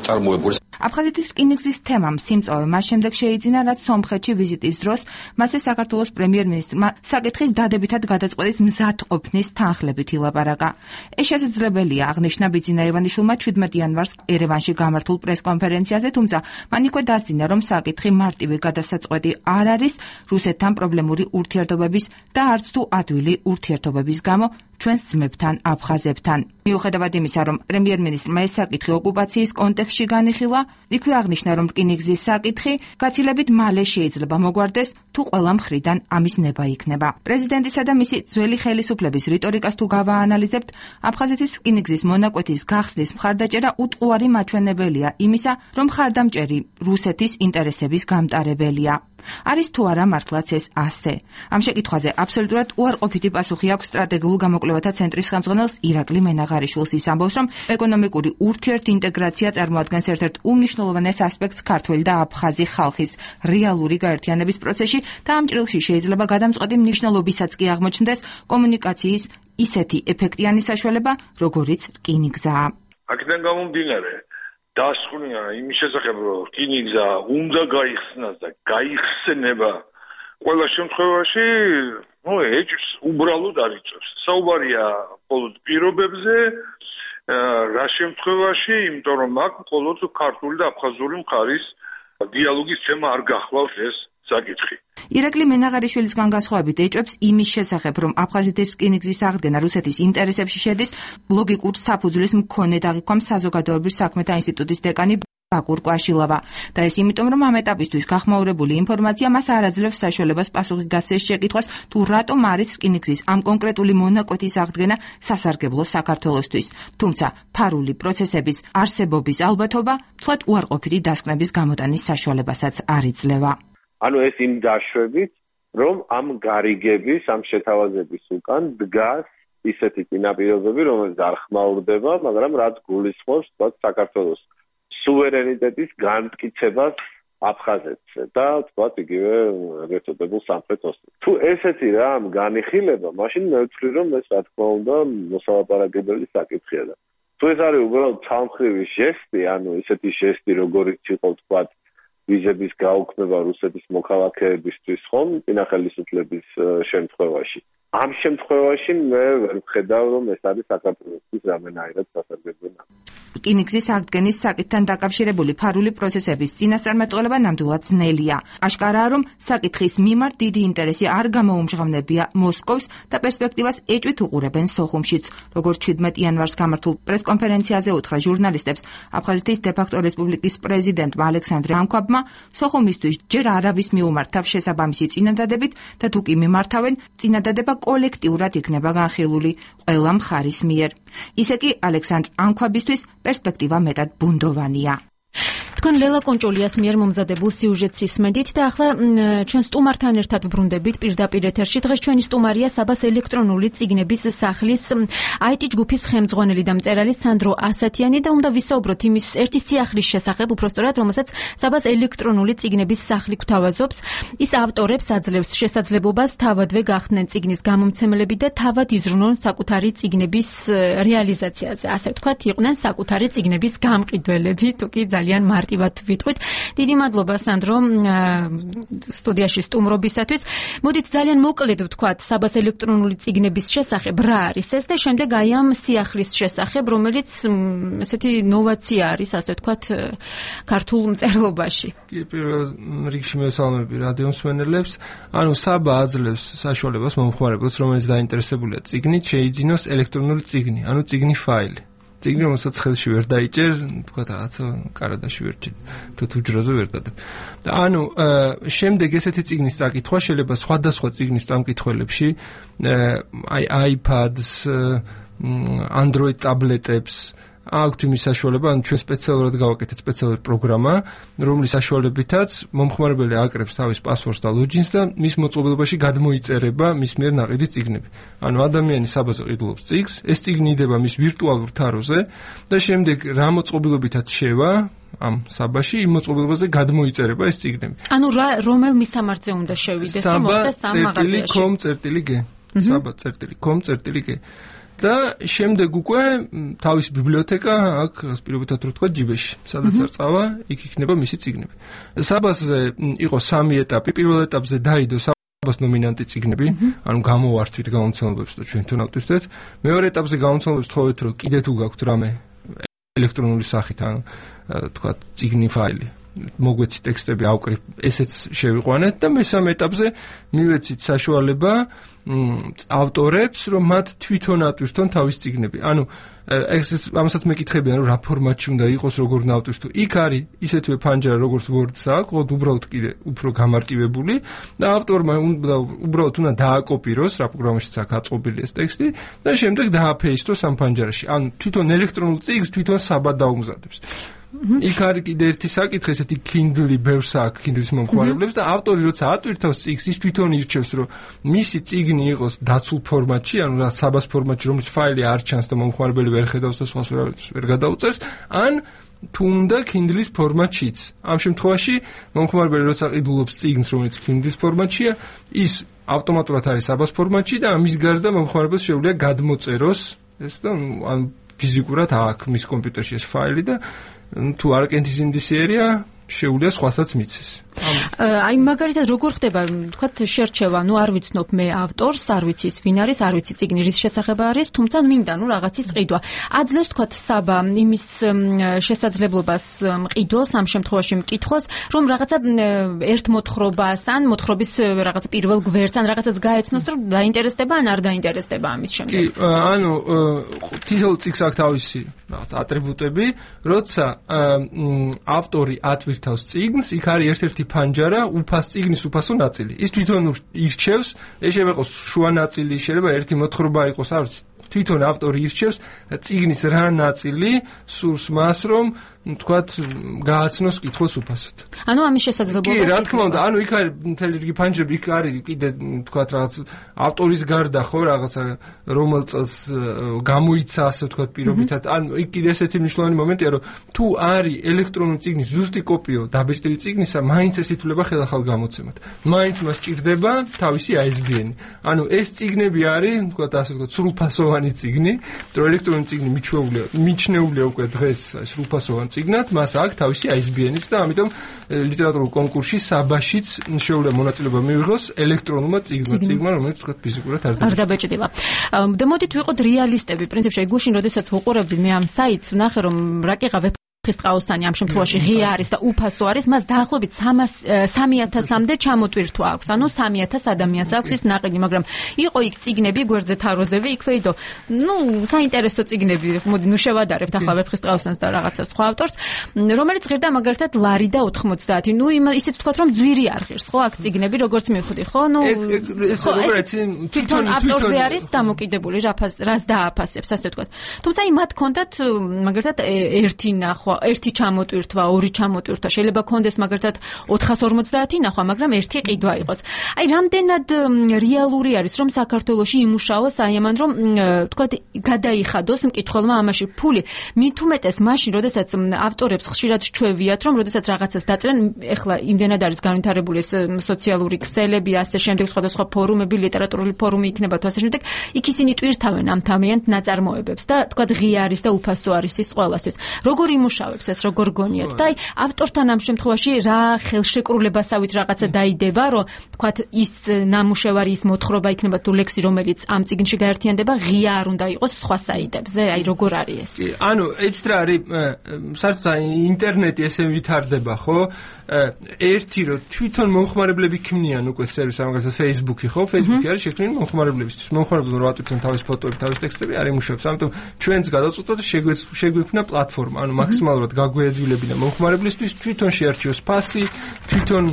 წარმოებული. აფხაზეთის რკინიგზის თემამ სიმწოვე მას შემდეგ შეიძინა, რაც სომხეთში ვიზიტის დროს მასზე საქართველოს პრემიერ-მინისტრმა საკითხის დადებითად გადაწყვეტის მზადყოფნის თანხლებით ილაპარაკა. ეს შესაძლებელია, აღნიშნა ბიძინა ივანიშვილმა 17 იანვარს ერევანში გამართულ პრესკონფერენციაზე, თუმცა მან იქვე დასძინა, რომ საკითხი მარტივი გადასაწყვეტი არ არის რუსეთთან პრობლემური ურთიერთობების და არც თუ ადვილი ურთიერთობების გამო ჩვენს ძმებთან აფხაზებთან. მიუხედავად იმისა, რომ პრემიერ-მინისტრმა ეს საკითხი ოკუპაციის კონტექსტში განიხილა, იქვე აღნიშნა, რომ რკინიგზის საკითხი გაცილებით მალე შეიძლება მოგვარდეს, თუ ყველა მხრიდან ამის ნება იქნება. პრეზიდენტისა და მისი ძველი ხელისუფლების რიტორიკას თუ გავაანალიზებთ, აფხაზეთის რკინიგზის მონაკვეთის გახსნის მხარდაჭერა უტყუარი მაჩვენებელია იმისა, რომ მხარდამჭერი რუსეთის ინტერესების გამტარებელია. არის თუ არა მართლაც ეს ასე? ამ შეკითხვაზე აბსოლუტურად უარყოფითი პასუხი აქვს სტრატეგიულ გამოკვლევათა ცენტრის ხელმძღვანელს ირაკლი მენაღარიშვილს. ის ამბობს, რომ ეკონომიკური ურთიერთინტეგრაცია წარმოადგენს ერთ-ერთ უმნიშვნელოვანეს ასპექტს ქართველი და აფხაზი ხალხის რეალური გაერთიანების პროცესში და ამ ჭრილში შეიძლება გადამწყვეტი მნიშვნელობისაც კი აღმოჩნდეს კომუნიკაციის ისეთი ეფექტიანი საშუალება, როგორიც რკინიგზაა. აქედან გამომდინარე დასკვნია იმის შესახებ, რომ რკინიგზა უნდა გაიხსნას და გაიხსნება ყველა შემთხვევაში, ეჭვს უბრალოდ არ იწევს. საუბარია მხოლოდ პირობებზე, რა შემთხვევაში, იმიტომ რომ აქ მხოლოდ ქართული და აფხაზური მხარის დიალოგის თემა არ გახლავს ეს საკითხი. ირაკლი მენაღარიშვილისგან განსხვავებით ეჭვებს იმის შესახებ, რომ აფხაზეთის რკინიგზის აღდგენა რუსეთის ინტერესებში შედის, ლოგიკურ საფუძვლის მქონე დაღიქვამს საზოგადოებრივ საქმეთა ინსტიტუტის დეკანი ბაკურ კვაშილავა. და ეს იმიტომ, რომ ამ ეტაპისთვის გახმაურებული ინფორმაცია მას არ აძლევს საშუალებას პასუხი გასცეს შეკითხვას, თუ რატომ არის რკინიგზის ამ კონკრეტული მონაკვეთის აღდგენა სასარგებლო საქართველოსთვის. თუმცა ფარული პროცესების არსებობის ალბათობა თლად უარყოფითი დასკვნების გამოტანის საშუალებასაც არ იძლევა. ანუ ეს იმ დაშვებით, რომ ამ გარიგების, ამ შეთავაზების უკან დგას ისეთი წინაპირობები, რომელიც არ ხმაურდება, მაგრამ რაც გულისხმობს საქართველოს სუვერენიტეტის განმტკიცებას აფხაზეთზე და თქვათ იგივე ერთობებულ სამხრეთ ოსეთში. თუ ესეთი რამ განიხილება, მაშინ მე ვთვლი, რომ ეს რა თქმა უნდა მოსალაპარაკებელი საკითხია და თუ ეს არის უბრალოდ ცალმხრივი ჟესტი, ანუ ისეთი ჟესტი, როგორიც იყო თქვათ ვიზების გაუქმება რუსეთის მოქალაქეებისთვის ხომ წინა ხელისუფლების შემთხვევაში. ამ შემთხვევაში მე ვერ ვხედავ, რომ ეს არის საქართველოსთვის რამენაირად სასარგებლო. რკინიგზის აღდგენის საკითხთან დაკავშირებული ფარული პროცესების წინასწარმეტყველება ნამდვილად ძნელია. აშკარაა, რომ საკითხის მიმართ დიდი ინტერესი არ გამოუმჟღავნებია მოსკოვს და პერსპექტივას ეჭვით უყურებენ სოხუმშიც. როგორც 17 იანვარს გამართულ პრესკონფერენციაზე უთხრა ჟურნალისტებს აფხაზეთის დე-ფაქტო რესპუბლიკის პრეზიდენტმა ალექსანდრე ანქვაბმა, სოხუმისთვის ჯერ არავის მიუმართავ შესაბამისი წინადადებით და თუ კი მიმართავენ, წინადადება კოლექტიურად იქნება განხილული ყველა მხარის მიერ. ისე კი ალექსანდრ ანქვაბისთვის პერსპექტივა მეტად ბუნდოვანია. თქვენ ლელა კონჭულიას მიერ მომზადებულ სიუჟეტს ისმენდით და ახლა ჩვენ სტუმართან ერთად ვბრუნდებით პირდაპირ ეთერში. დღეს ჩვენი სტუმარია საბას ელექტრონული წიგნების სახლის IT ჯგუფის ხელმძღვანელი და მწერალი სანდრო ასათიანი და უნდა ვისაუბროთ იმის ერთი სიახლის შესახებ, უბრალოდ რომელსაც საბას ელექტრონული წიგნების სახლი გვთავაზობს. ის ავტორებს აძლევს შესაძლებლობას თავადვე გახდნენ წიგნის გამომცემლები და თავად იზრუნონ საკუთარი წიგნების რეალიზაციაზე. ასე ვთქვათ, იყვნენ საკუთარი წიგნების გამყიდველები, თუ კი ძალიან მარტივად ვიტყვით. დიდი მადლობა სანდრო სტუდიაში სტუმრობისათვის. მოდით ძალიან მოკლედ ვთქვათ საბას ელექტრონული წიგნების შესახებ რა არის ეს და შემდეგ აი ამ სიახლის შესახებ, რომელიც ესეთი ნოვაცია არის, ასე ვთქვათ, ქართულ მწერლობაში. კი, პირველ რიგში მესალმები რადიო მსმენელებს. ანუ საბა აძლევს საშუალებას მომხმარებელს, რომელიც დაინტერესებულია წიგნით, შეიძინოს ელექტრონული წიგნი, ანუ წიგნი ფაილი. წიგნი, რომელსაც ხელში ვერ დაიჭერ, თქვა რაღაცა კარადაში ვერ ჭირ, თუ ჯროზე ვერ დადებ. და ანუ შემდეგ ესეთი წიგნის წაკითხვა შეიძლება სხვადასხვა წიგნის წამკითხველებში, აი iPads, Android ტაბლეტებს აქვთ იმის საშუალება, ანუ ჩვენ სპეციალურად გავაკეთეთ სპეციალური პროგრამა, რომლის საშუალებითაც მომხმარებელი აკრებს თავის პასვორდს და ლოჯინს და მის მოწყობილობაში გადმოიწერება მის მიერ ნაყიდი წიგნები. ანუ ადამიანი საბაზე ყიდულობს წიგნს, ეს წიგნი იდება მის ვირტუალურ თაროზე და შემდეგ რა მოწყობილობითაც შევა ამ საბაში, იმ მოწყობილობაზე გადმოიწერება ეს წიგნები. ანუ რომელ მისამართზე უნდა შევიდეს, რომ მოხდეს ამ მაღაზიაში? saba.com.g და შემდეგ უკვე თავის ბიბლიოთეკა აქ პირობითად რო თქვა ჯიბეში, სადაც არ წავა, იქ იქნება მისი წიგნები. საბაზე იყო 3 ეტაპი. პირველ ეტაპზე დაიდო საბას ნომინანტი წიგნები, ანუ გამოვართვით გამომცემლობებს და ჩვენ თვითონ ავტვირთეთ. მეორე ეტაპზე გამომცემლობებს თხოვეთ, რომ კიდე თუ გაქვთ რამე ელექტრონული სახით, ანუ თქვა წიგნი ფაილი, მოგვეცით ტექსტები ავკრიფ, ესეც შევიყვანეთ და მესამე ეტაპზე მივეცით საშუალება ავტორებს, რომ მათ თვითონ ატვირთონ თავის წიგნები. ანუ ამასაც მეკითხებიან, რომ რა ფორმატში უნდა იყოს, როგორ უნდა ავტვირთო. იქ არის ისეთივე ფანჯარა, როგორც Word-ს აქვს, უბრალოდ კიდე უფრო გამარტივებული და ავტორმა უბრალოდ უნდა დააკოპიროს, რა პროგრამაშიც აქვს აწყობილი ეს ტექსტი და შემდეგ დააფეისტოს ამ ფანჯარაში. ანუ თვითონ ელექტრონულ წიგნს თვითონ საბა დაუმზადებს. იქ არის კიდე ერთი საკითხი, ესეთი Kindle-ი ბევრს აქვს Kindle-ის მომხმარებლებს და ავტორი როცა ატვირთავს წიგნს, ის თვითონ ირჩევს, რომ მისი წიგნი იყოს დაცულ ფორმატში, ანუ რა საბას ფორმატში, რომელიც ფაილი არ ჩანს და მომხმარებელი ვერ ხედავს და სხვას ვერ გადაუწერს, ან თუნდა Kindle-ის ფორმატშიც. ამ შემთხვევაში მომხმარებელი როცა ყიდულობს წიგნს, რომელიც Kindle-ის ფორმატშია, ის ავტომატურად არის საბას ფორმატში და ამის გარდა მომხმარებელს შეუძლია გადმოწეროს ეს და ან ფიზიკურად აქვს მის კომპიუტერში ეს ფაილი და თუ არ კენთის ინდისიერია შეუძლია სხვასაც მიცეს. აი მაგალითად როგორ ხდება, თქვათ შერჩევა, ნუ არ ვიცნობ მე ავტორს, არ ვიცი ის ვინ არის, არ ვიცი წიგნი რის შესახებ არის, თუმცა მინდა ნუ რაღაცის ყიდვა. აძლევს თქვათ საბა იმის შესაძლებლობას მყიდველს ამ შემთხვევაში მკითხოს, რომ რაღაცა ერთ მოთხრობას ან მოთხრობის რაღაცა პირველ გვერდს ან რაღაცას გაეცნოს, რომ დაინტერესდება ან არ დაინტერესდება ამის შემდეგ. კი, ანუ თითოეულ წიგნს აქვს თავისი რაღაც ატრიბუტები, როცა ავტორი ატვირთავს წიგნს, იქ არის ერთ-ერთი ფანჯარა, წიგნის უფასო ნაწილი. ის თვითონ ირჩევს, ეს შეიძლება იყოს შუა ნაწილი, შეიძლება ერთი მოთხრობა იყოს, არ ვიცი, თვითონ ავტორი ირჩევს წიგნის რა ნაწილი სურს მას, რომ თქვათ გააცნოს კითხვის უფასოდ. ანუ ამის შესაძლებლობა. კი, რა თქმა უნდა, ანუ იქ არის მთელი რიგი ფანჯრები, იქ არის კიდე თქვათ რაღაც ავტორის გარდა ხო რაღაცა რომელ წელს გამოიცა, ასე ვთქვათ, პირობითად. ანუ იქ კიდე ესეთი მნიშვნელოვანი მომენტია, რომ თუ არის ელექტრონული წიგნის ზუსტი კოპიო დაბეჭდილი წიგნისა, მაინც ეს ითვლება ხელახალ გამოცემად. მაინც მას ჭირდება თავისი ISBN. ანუ ეს წიგნები არის, თქვათ, ასე ვთქვათ, სრულფასოვანი მნიშვნელოვანი წიგნი, რომ ელექტრონული წიგნი მიჩნეულია უკვე დღეს სრულფასოვან წიგნად, მას აქვს თავისი ISBN-იც და ამიტომ ლიტერატურულ კონკურსში საბაშიც შეუძლია მონაწილეობა მიიღოს ელექტრონულმა წიგნმა, რომელიც თქვა ფიზიკურად არ დაბეჭდება. და მოდით ვიყოთ რეალისტები. პრინციპში გუშინ როდესაც ვუყურებდი მე ამ საიტს, ვნახე რომ რაკეღა ხისტყაოსანი ამ შემთხვევაში ღია არის და უფასო არის, მას დაახლოებით 3000-მდე ჩამოტვირთვა აქვს. ანუ 3000 ადამიანს აქვს ის ნაყინი, მაგრამ იყო იქ წიგნები, გვერდზე თაროზები, იქვეიდო. საინტერესო წიგნები, მოდი შევადარებთ ახლა ვეფხისტყაოსანს და რაღაცა სხვა ავტორს, რომელიც ღირდა მაგალითად ლარი და 90. ისიც ვთქვათ, რომ ძვირი არ ღირს, ხო, აქ წიგნები, როგორც მივხვდი, ხო? თვითონ ავტორზე არის დამოკიდებული, რას დააფასებს, ასე ვთქვათ. თუმცა მათ ჰქონდათ მაგალითად ერთი ნახვა, ერთი ჩამოტვირთვა, ორი ჩამოტვირთვა, შეიძლება კონდეს მაგალითად 450 ნახვა, მაგრამ ერთი ყიდვა იყოს. აი, რამდენად რეალური არის, რომ საქართველოში იმუშაოს აი ამან, რომ თქვათ გადაიხადოს მკითხველმა ამაში ფული. მით უმეტეს მაშინ, როდესაც ავტორებს ხშირად ჩვევიათ, რომ როდესაც რაღაცას დაწერენ, ეხლა იმდენად არის განვითარებული ეს სოციალური ქსელები, ასე შემდეგ, სხვადასხვა ფორუმები, ლიტერატურული ფორუმი იქნება თუ ასე შემდეგ, იქ ისინი ტვირთავენ ამ თავიანთ ნაწარმოებებს და თქვათ ღია არის და უფასო არის ის ყველასთვის. როგორ იმუშავებს ეს როგორ გონიათ და აი ავტორთან ამ შემთხვევაში რა ხელშეკრულებასავით რაღაცა დაიდება, რომ თქვათ ის ნამუშევარი, ის მოთხრობა იქნება თუ ლექსი, რომელიც ამ წიგნში გაერთიანდება, ღია არ უნდა იყოს სხვა საიტებზე, აი როგორ არის ეს? ანუ ეცით რა არის, საერთოდ ინტერნეტი ესე ვითარდება, ხო? ერთი რომ თვითონ მომხმარებლები ქმნიან უკვე სერვისს, მაგალითად Facebook-ი, ხო? Facebook-ი არის შექმნილი მომხმარებლებისთვის. მომხმარებლები რა ატვირთონ თავის ფოტოები, თავის ტექსტები არ იმუშავებს. ამიტომ ჩვენც გადავწყვეტოთ შეგვექმნა პლატფორმა, ანუ მაქსიმალურად გაგვეძვლებინა მომხმარებლისთვის, თვითონ შეარჩიოს ფასი, თვითონ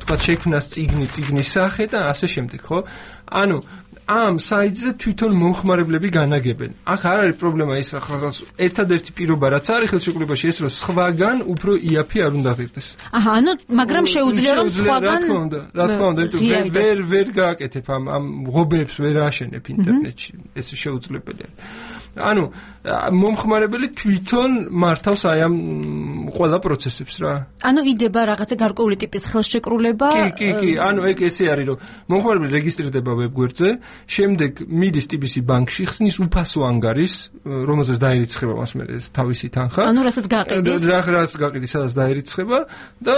თქვა შექმნას წიგნის სახე და ასე შემდეგ, ხო? ანუ ამ საიტზე თვითონ მომხმარებლები განაგებენ. აქ არ არის პრობლემა ის, ერთადერთი პირობა რაც არის ხელშეკრულებაში ეს, რომ სხვაგან უფრო იაფი არ უნდა ღირდეს. აჰა, ანუ მაგრამ შეუძლია რომ სხვაგან რა თქმა უნდა, ვერ გააკეთებ ამ ღობეებს ვერ აშენებ ინტერნეტში. ეს შეუძლებელია. ანუ მომხმარებელი თვითონ მართავს აი ამ ყველა პროცესებს რა. ანუ იდება რაღაცა გარკვეული ტიპის ხელშეკრულება. კი, ანუ ეგ ესე არის, რომ მომხმარებელი რეგისტრირდება ვებგვერდზე, შემდეგ მიდის TBC ბანკში, ხსნის უფასო ანგარიშს, რომელზეც დაერიცხება მას მე თავისი თანხა. ანუ რასაც გაყიდის. რაც გაყიდის, სადაც დაერიცხება და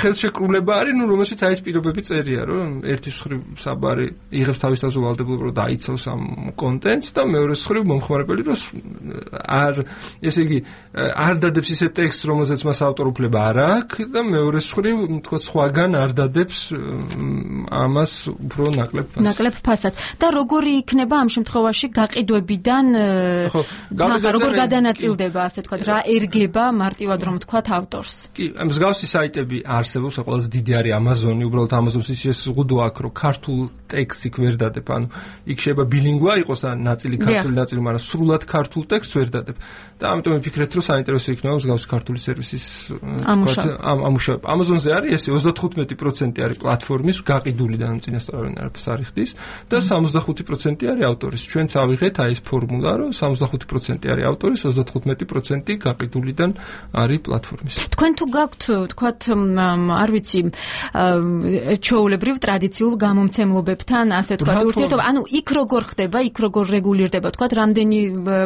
ხელშეკრულება არის, რომელშიც აი ეს პირობები წერია, რომ ერთის მხრივ საბარი იღებს თავის თავზე ვალდებულება, რომ დაიცავს ამ კონტენტს და მეორეს მხრივ მომხმარებელი რომ არ ესე იგი არ დადებს ისე ტექსტს, რომელზეც მას ავტორობა არ აქვს და მეორეს მხრივ თქო სხვაგან არ დადებს ამას უფრო ნაკლებ ფასად. და როგორი იქნება ამ შემთხვევაში გაყიდვებიდან როგორ გადანაწილდება, ასე ვთქვათ, რა ერგება მარტივად რომ ვთქვათ ავტორს? კი, მსგავსი საიტები არსებობს, ყველაზე დიდი არის Amazon-ი, უბრალოდ Amazon-ს ის შეზღუდვა აქვს, რომ ქართულ ტექსტს იქ ვერ დადებ, ანუ იქ შეიძლება ბილინგვა იყოს ნაწილი ქართული ნაწილი, მაგრამ სრულად ქართულ ტექსტს ვერ დადებ. და ამიტომ ვიფიქრეთ, რომ საინტერესო იქნება მსგავსი ქართული სერვისის ამუშავება. Amazon-ზე არის ესე 35% არის პლატფორმის გაყიდული და წინასწარ არაფერს არ იხდის და 65% არის ავტორის. ჩვენც ავიღეთ აი ეს ფორმულა, რომ 65% არის ავტორის, 35% გაყიდულიდან არის პლატფორმის. თქვენ თუ გაქვთ, თქვათ, არ ვიცი, ჩვეულებრივ ტრადიციულ გამომცემლობებთან, ასე ვთქვათ, ურთიერთობა, ანუ იქ როგორ ხდება, იქ როგორ რეგულირდება, თქვათ, რამდენი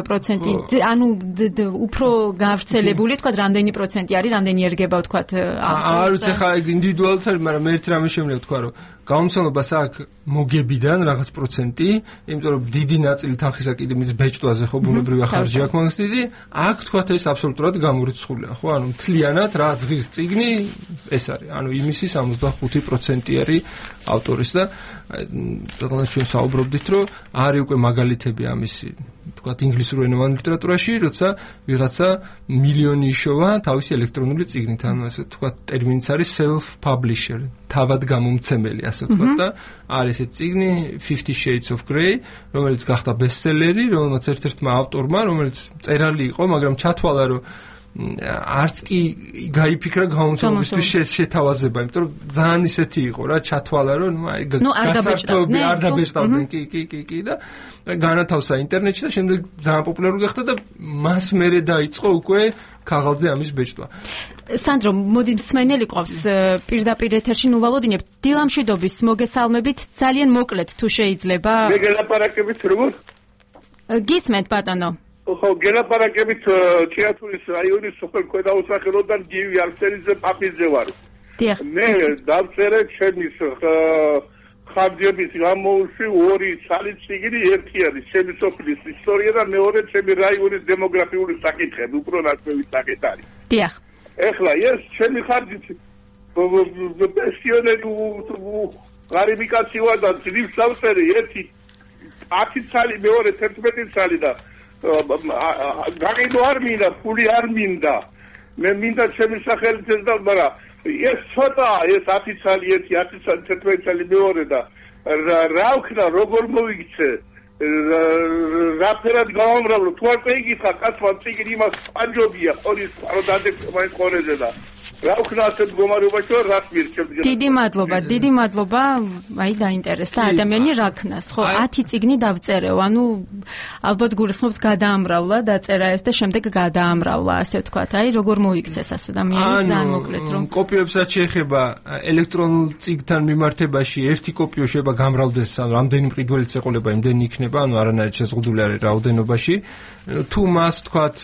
პროცენტი, ანუ უფრო გავრცელებული, თქვათ, რამდენი პროცენტი არის, რამდენი ერგება, თქვათ, ავტორს. არ ვიცი, ხა ინდივიდუალურად არის, მაგრამ მე ერთ რამე შემიძლია ვთქვა, რომ გამომცემლობას აქვს მოგებიდან რაღაც პროცენტი, იმიტომ რომ დიდი ნაწილი თანხისა კიდე მის ბეჭდვაზე ხო ბუნებრივია ხარჯი აქვს მაგას დიდი, აქ თქვათ ეს აბსოლუტურად გამორიცხულია, ხო? ანუ მთლიანად რა ზღვის წიგნი ეს არის. ანუ იმისი 65% არის ავტორის და ზოგადად ჩვენ საუბრობდით, რომ არის უკვე მაგალითები ამისი თქვათ ინგლისურ ენოვან ლიტერატურაში, როცა ვიღაცა მილიონი იშოვა თავისი ელექტრონული წიგნით, ანუ ასე თქვათ ტერმინიც არის self publisher, თავად გამომცემელი, ასე ვთქვათ და არის ეს წიგნი 50 Shades of Grey, რომელიც გახდა ბესტსელერი, რომელმაც ერთ-ერთმა ავტორმა, რომელიც წერალი იყო, მაგრამ ჩათვალა, რომ არც კი გაიფიქრა გამომცემლობისთვის შეთავაზება, იმიტომ რომ ძალიან ისეთი იყო რა, ჩათვალა, რომ აი გასართობი არ დაბეჭდავდნენ, კი და განათავსა ინტერნეტში და შემდეგ ძალიან პოპულარული გახდა და მას მერე დაიწყო უკვე ქაღალდზე ამის ბეჭდვა. სანდრო, მოდი მსმენელი ყავს პირდაპირ ეთერში, ნუ ვალოდინებ, დილამშვიდობის მოგესალმებით, ძალიან მოკლედ თუ შეიძლება. მე გელაპარაკებით როგორ? გისმენთ ბატონო. ხო, გელაპარაკებით ჭიათურის რაიონის სოფელ ქვედაუსახელოდან გივი არსენიძე პაპიძე ვარ. დიახ. მე დავწერე ჩემის ხარჯების გამოუშვი 2 ცალი წიგნი, ერთი არის ჩემი სოფლის ისტორია და მეორე ჩემი რაიონის დემოგრაფიული საკითხები, უფრო ნაკლები საკითხი არის. დიახ. ეხლა ეს ჩემი ხარჯით პენსიონერი გარიბიკაცივა და ძილს დავწერე ერთი 10 ცალი, მეორე 11 ცალი და გაყიდო არ მინდა, ფული არ მინდა. მე მინდა ჩემი სახელით ეს და მაგრამ ეს ცოტა ეს 10 ცალი ერთი 10 ცალი 11 ცალი მეორე და რა ვქნა როგორ მოვიქცე რაფერად გავამრავლო თუ არ წეიგიხა კაცმა წიგნი იმას პანჯობია ყოლის პაროდადებს მაინც ყორეზე და რა ვქნა ასეთ მდგომარეობაში რას მირჩევთ. დიდი მადლობა, აი დაინტერესდა ადამიანი რა ქნას, ხო 10 წიგნი დავწერეო, ანუ ალბათ გულისხმობს გადაამრავლა, დაწერა ეს და შემდეგ გადაამრავლა, ასე ვთქვათ, აი როგორ მოიქცეს ეს ადამიანი ძალიან მოკლედ რომ კოპიებსაც შეეხება ელექტრონულ წიგნთან მიმართებაში ერთი კოპიო შეიძლება გამრავლდეს, ანუ რამდენი მყიდველიც ეყოლება, იმდენი იქნება, ანუ არანაირად შეზღუდული არის რაოდენობაში. თუ მას ვთქვათ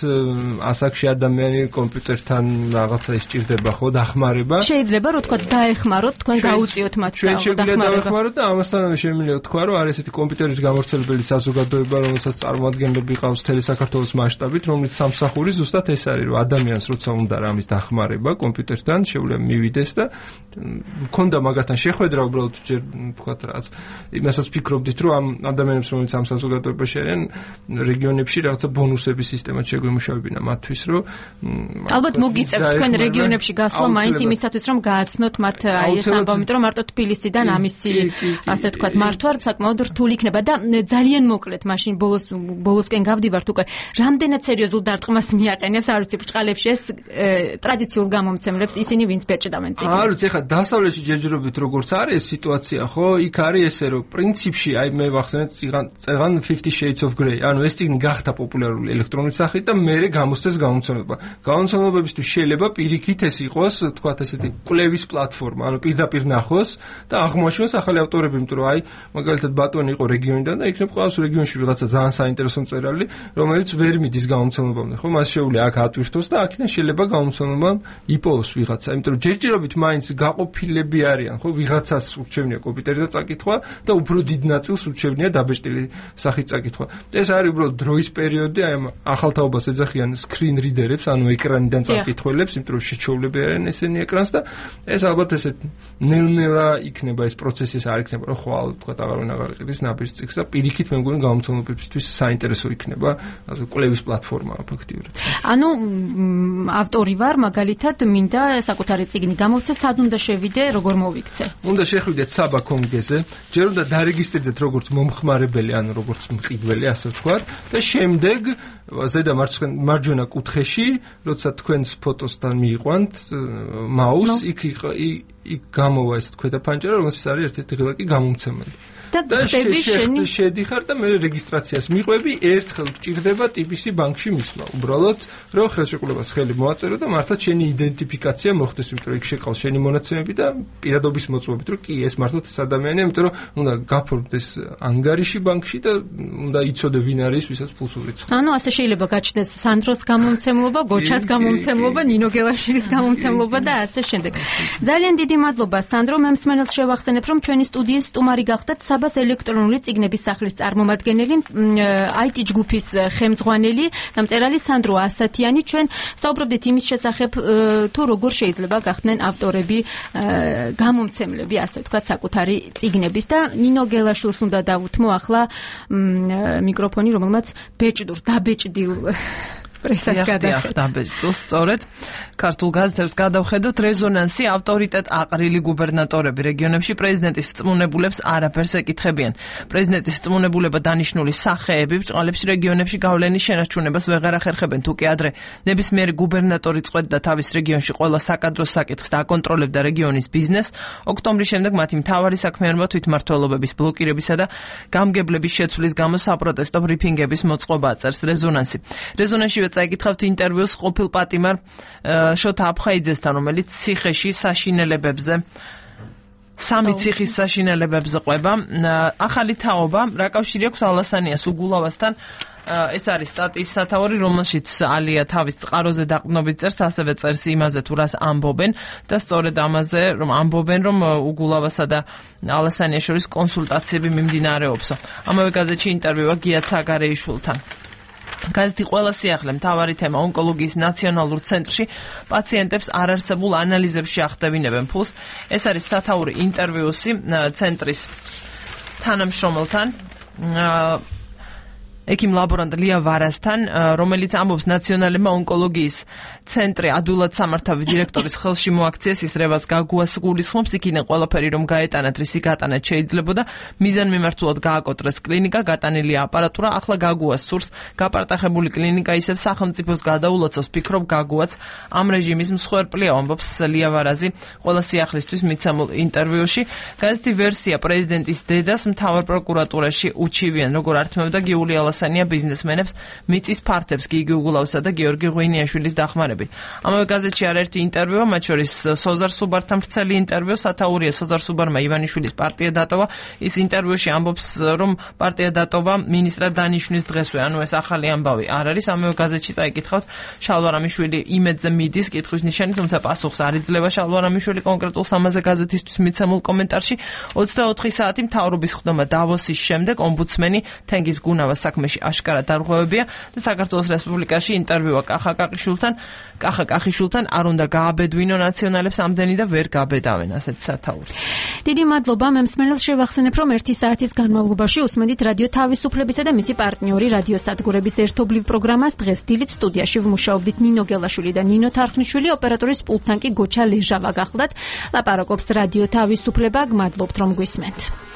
ასაკში ადამიანი კომპიუტერთან რაღაცა ისჭირდება ხო დახმარება. შეიძლება რომ თქვა დაეხმაროთ, თქვენ გაუწიოთ მათ და შეგვიძლია დაეხმაროთ და ამასთანავე შემიძლია თქვა რომ არის ესეთი კომპიუტერის გამავრცელებელი საზოგადოება, რომელსაც წარმოადგენლები ყავს მთელი საქართველოს მასშტაბით, რომელიც სამსახური ზუსტად ეს არის, რომ ადამიანს როცა უნდა რამის დახმარება კომპიუტერთან, შეუძლია მივიდეს და მქონდა მაგათთან შეხვედრა უბრალოდ ჯერ ვთქვათ რაც იმასაც ფიქრობდით, რომ ამ ადამიანებს რომელიც ამ საზოგადოებაში არიან რეგიონებში რაღაცა ბონუსების სისტემა შეგვიმუშავებინა მათთვის, რომ ალბათ მოგიწევთ თქვენ რეგიონებში გასვლა მაინც იმისათვის რომ გააცნოთ მათ აი ეს ამბავი, რომ მარტო თბილისიდან ამისი ასე ვთქვათ მართვა საკმაოდ რთული იქნება და ძალიან მოკლედ მაშინ ბოლოსკენ გავდივართ უკვე რამდენად სერიოზულ დარტყმას მიაყენებს არ ვიცი ბრჭყალებში ეს ტრადიციულ გამომცემლებს ისინი ვინც ბეჭდავენ წიგნს. არ ვიცი ხა დასავლეთში ჯერჯერობით როგორც არის სიტუაცია ხო იქ არის ესე რომ პრინციპში აი მე ვახსენეთ წეღან 50 Shades of Grey ანუ ეს წიგნი გახდა პოპულარული ელექტრონული სახით და მერე გამოსცეს გამომცემლობა. გამომცემლებისთვის შეიძლება პირიქით ეს იყოს თქვათ ესეთი კვლევის პლატფორმა, ანუ პირდაპირ ნახოს და აღმოაჩინოს ახალი ავტორები, იმიტომ რომ აი მაგალითად ბატონი იყო რეგიონიდან და იქნებ ყოველს რეგიონში ვიღაცა ძალიან საინტერესო მწერალი, რომელიც ვერ მიდის გამომცემლებამდე, ხო? მას შეუძლია აქ ატვირთოს და აქედან შეიძლება გამომცემლებამ იპოვოს ვიღაცა, იმიტომ რომ ჯერჯერობით მაინც გაყოფილები არიან, ხო? ვიღაცას ურჩევნია კომპიუტერიდან წაკითხვა და უფრო დიდ ნაწილს ურჩევნია დაბეჭდილი სახით წაკითხვა. ეს არის უბრალოდ დროის პერიოდი, აი ამ ახალთაობას ეძახიან screen reader-ებს, ანუ ეკრანიდან წაკითხველებს, იმიტომ რომ შეჩოვლები არიან ესენი ეკრანს და ეს ალბათ ესე ნელ-ნელა იქნება ეს პროცესი, ეს არ იქნება რომ ხვალ თქვა აღარვენ აღარ იყიდეს ნაბიჯს წიგს და პირიქით მე მგონი გამომცემლებისთვის საინტერესო იქნება ასე კვლევის პლატფორმაა ფაქტიურად. ანუ ავტორი ვარ, მაგალითად მინდა საკუთარი წიგნი გამოვცე, სად უნდა შევიდე, როგორ მოვიქცე? უნდა შეხვიდეთ საბა კონგეზე, ჯერ უნდა დარეგისტრირდეთ როგორც მომხმარებელი, ანუ როგორც მყიდველი, ასე ვთქვათ და შემდეგ ზედა მარჯვენა კუთხეში, როცა თქვენს ფოტოსთან მიიყვანთ მაუს, იქ გამოვა ეს ქვედა ფანჯარა, რომელსაც არის ერთ-ერთი ღილაკი გამომცემელი. და შედიხარ და მე რეგისტრაციას მიყვები, ერთხელ გჭირდება TBC ბანკში მისვლა. უბრალოდ რომ ხელშეკრულებას ხელი მოაწერო და მართლაც შენი იდენტიფიკაცია მოხდეს, იმიტომ რომ იქ შეყავს შენი მონაცემები და პირადობის მოწმობით, რომ კი ეს მართლაც ეს ადამიანია, იმიტომ რომ უნდა გაფორმდეს ანგარიში ბანკში და უნდა იცოდე ვინ არის, ვისაც ფულს ურიცხავ. ანუ ასე შეიძლება გაჩნდეს სანდროს გამომცემლობა, გოჩას გამომცემლობა, ნინო გელაშვილის გამომცემლობა და ასე შემდეგ. ძალიან დიდი მადლობა სანდრო, მე მსმენელს შევახსენებ, რომ ჩვენი სტუდიის სტუმარი გახდათ საბას ელექტრონული წიგნების სახლის წარმომადგენელი, IT ჯგუფის ხელმძღვანელი და მწერალი სანდრო ასათიანი. ჩვენ საუბრობდით იმის შესახებ, თუ როგორ შეიძლება გახდნენ ავტორები, გამომცემლები, ასე ვთქვათ, საკუთარი წიგნების და ნინო გელაშვილს უნდა დავუთმო ახლა მიკროფონი, რომელმაც დაბეჭდილ პრესას გადახედა. დაბეჭდილს სწორედ ქართულ გაზეთებს გადავხედოთ რეზონანსი ავტორიტეტ აყრილი გუბერნატორები რეგიონებში პრეზიდენტის წმუნებულებს არაფერს ეკითხებიან. პრეზიდენტის წმუნებულება დანიშნული სახეები ბრჭყალებში რეგიონებში გავლენის შენარჩუნებას ვეღარ ახერხებენ. თუ კი ადრე ნებისმიერი გუბერნატორი წყვეტდა თავის რეგიონში ყველა საკადროს საკითხს და აკონტროლებდა რეგიონის ბიზნესს, ოქტომბრის შემდეგ მათი მთავარი საქმიანობა თვითმმართველობების ბლოკირებისა და გამგებლების შეცვლის გამო საპროტესტო ბრიფინგების მოწყობა აწერს რეზონანსი. რეზონანსში წაიკითხავთ ინტერვიუს ყოფილ პატიმარ შოთა აფხაიძესთან, რომელიც ციხეში საშინელებებზე სამი ციხის საშინელებებზე ყვება. ახალი თაობა რა კავშირი აქვს ალასანიას უგულავასთან? ეს არის სტატიის სათაური, რომელშიც ალია თავის წყაროზე დაყრდნობით წერს, ასევე წერს იმაზე თუ რას ამბობენ და სწორედ ამაზე რომ ამბობენ, რომ უგულავასა და ალასანიას შორის კონსულტაციები მიმდინარეობსო. ამავე გაზეთში ინტერვიუა გია ცაგარეიშვილთან. გაზეთი ყველა სიახლე მთავარი თემა ონკოლოგიის ნაციონალურ ცენტრში პაციენტებს არარსებულ ანალიზებში ახდევინებენ ფულს. ეს არის სათაური ინტერვიუსი ცენტრის თანამშრომელთან ექიმ ლაბორანტ ლია ვარასთან, რომელიც ამბობს ნაციონალებმა ონკოლოგიის ცენტრი ადვილად სამართავი დირექტორის ხელში მოაქციეს ის რევას გაგუას გულისხმობს, იქიდან ყველაფერი რომ გაეტანათ, რისი გატანაც შეიძლებოდა, მიზანმიმართულად გააკოტრეს კლინიკა, გატანილია აპარატურა, ახლა გაგუას სურს გაპარტახებული კლინიკა ისევ სახელმწიფოს გადაულოცოს, ფიქრობ გაგუაც ამ რეჟიმის მსხვერპლია, ამბობს ლია ვარაზი ყველა სიახლისთვის მიცემულ ინტერვიუში. გაზეთი ვერსია პრეზიდენტის დედას მთავარ პროკურატურაში უჩივიან, როგორ ართმევდა გიული ალასანია ბიზნესმენებს მიწის ფართებს გიგი უგულავსა და გიორგი ღვინიაშვილის დახმარებით. ამავე გაზეთში არაერთი ინტერვიუა, მათ შორის სოზარ სუბართან ვრცელი ინტერვიუ, სათაურია სოზარ სუბარმა ივანიშვილის პარტია დატოვა. ის ინტერვიუში ამბობს, რომ პარტია დატოვა მინისტრად დანიშნვის დღესვე, ანუ ეს ახალი ამბავი არ არის. ამავე გაზეთში წაიკითხავთ, შალვარამიშვილი იმედზე მიდის კითხვის ნიშანი, თუმცა პასუხს არ იძლევა შალვარამიშვილი კონკრეტულ სამაზე გაზეთისთვის მიცემულ კომენტარში. 24 საათი მთავრობის ხდომა დავოსის შემდეგ ომბუდსმენი თენგიზ გუნავას საქმეში აშკარად დარღვევებია და საქართველოს რესპუბლიკაში ინტერვიუა კახა კახიშვილთან არ უნდა გააბედვინო ნაციონალებს ამდენი და ვერ გაბედავენ, ასეთ სათაური. დიდი მადლობა, მე მსმენელს შევახსენებ, რომ 1 საათის განმავლობაში უსმენთ რადიო თავისუფლებისა და მისი პარტნიორი რადიო სადგურების ერთობლივ პროგრამას. დღეს დილით სტუდიაში ვმუშაობდით ნინო გელაშვილი და ნინო თარხნიშვილი, ოპერატორის პულტთან კი გოჩა ლეჟავა გახლდათ. ლაპარაკობს რადიო თავისუფლება, გმადლობთ რომ გვისმენთ.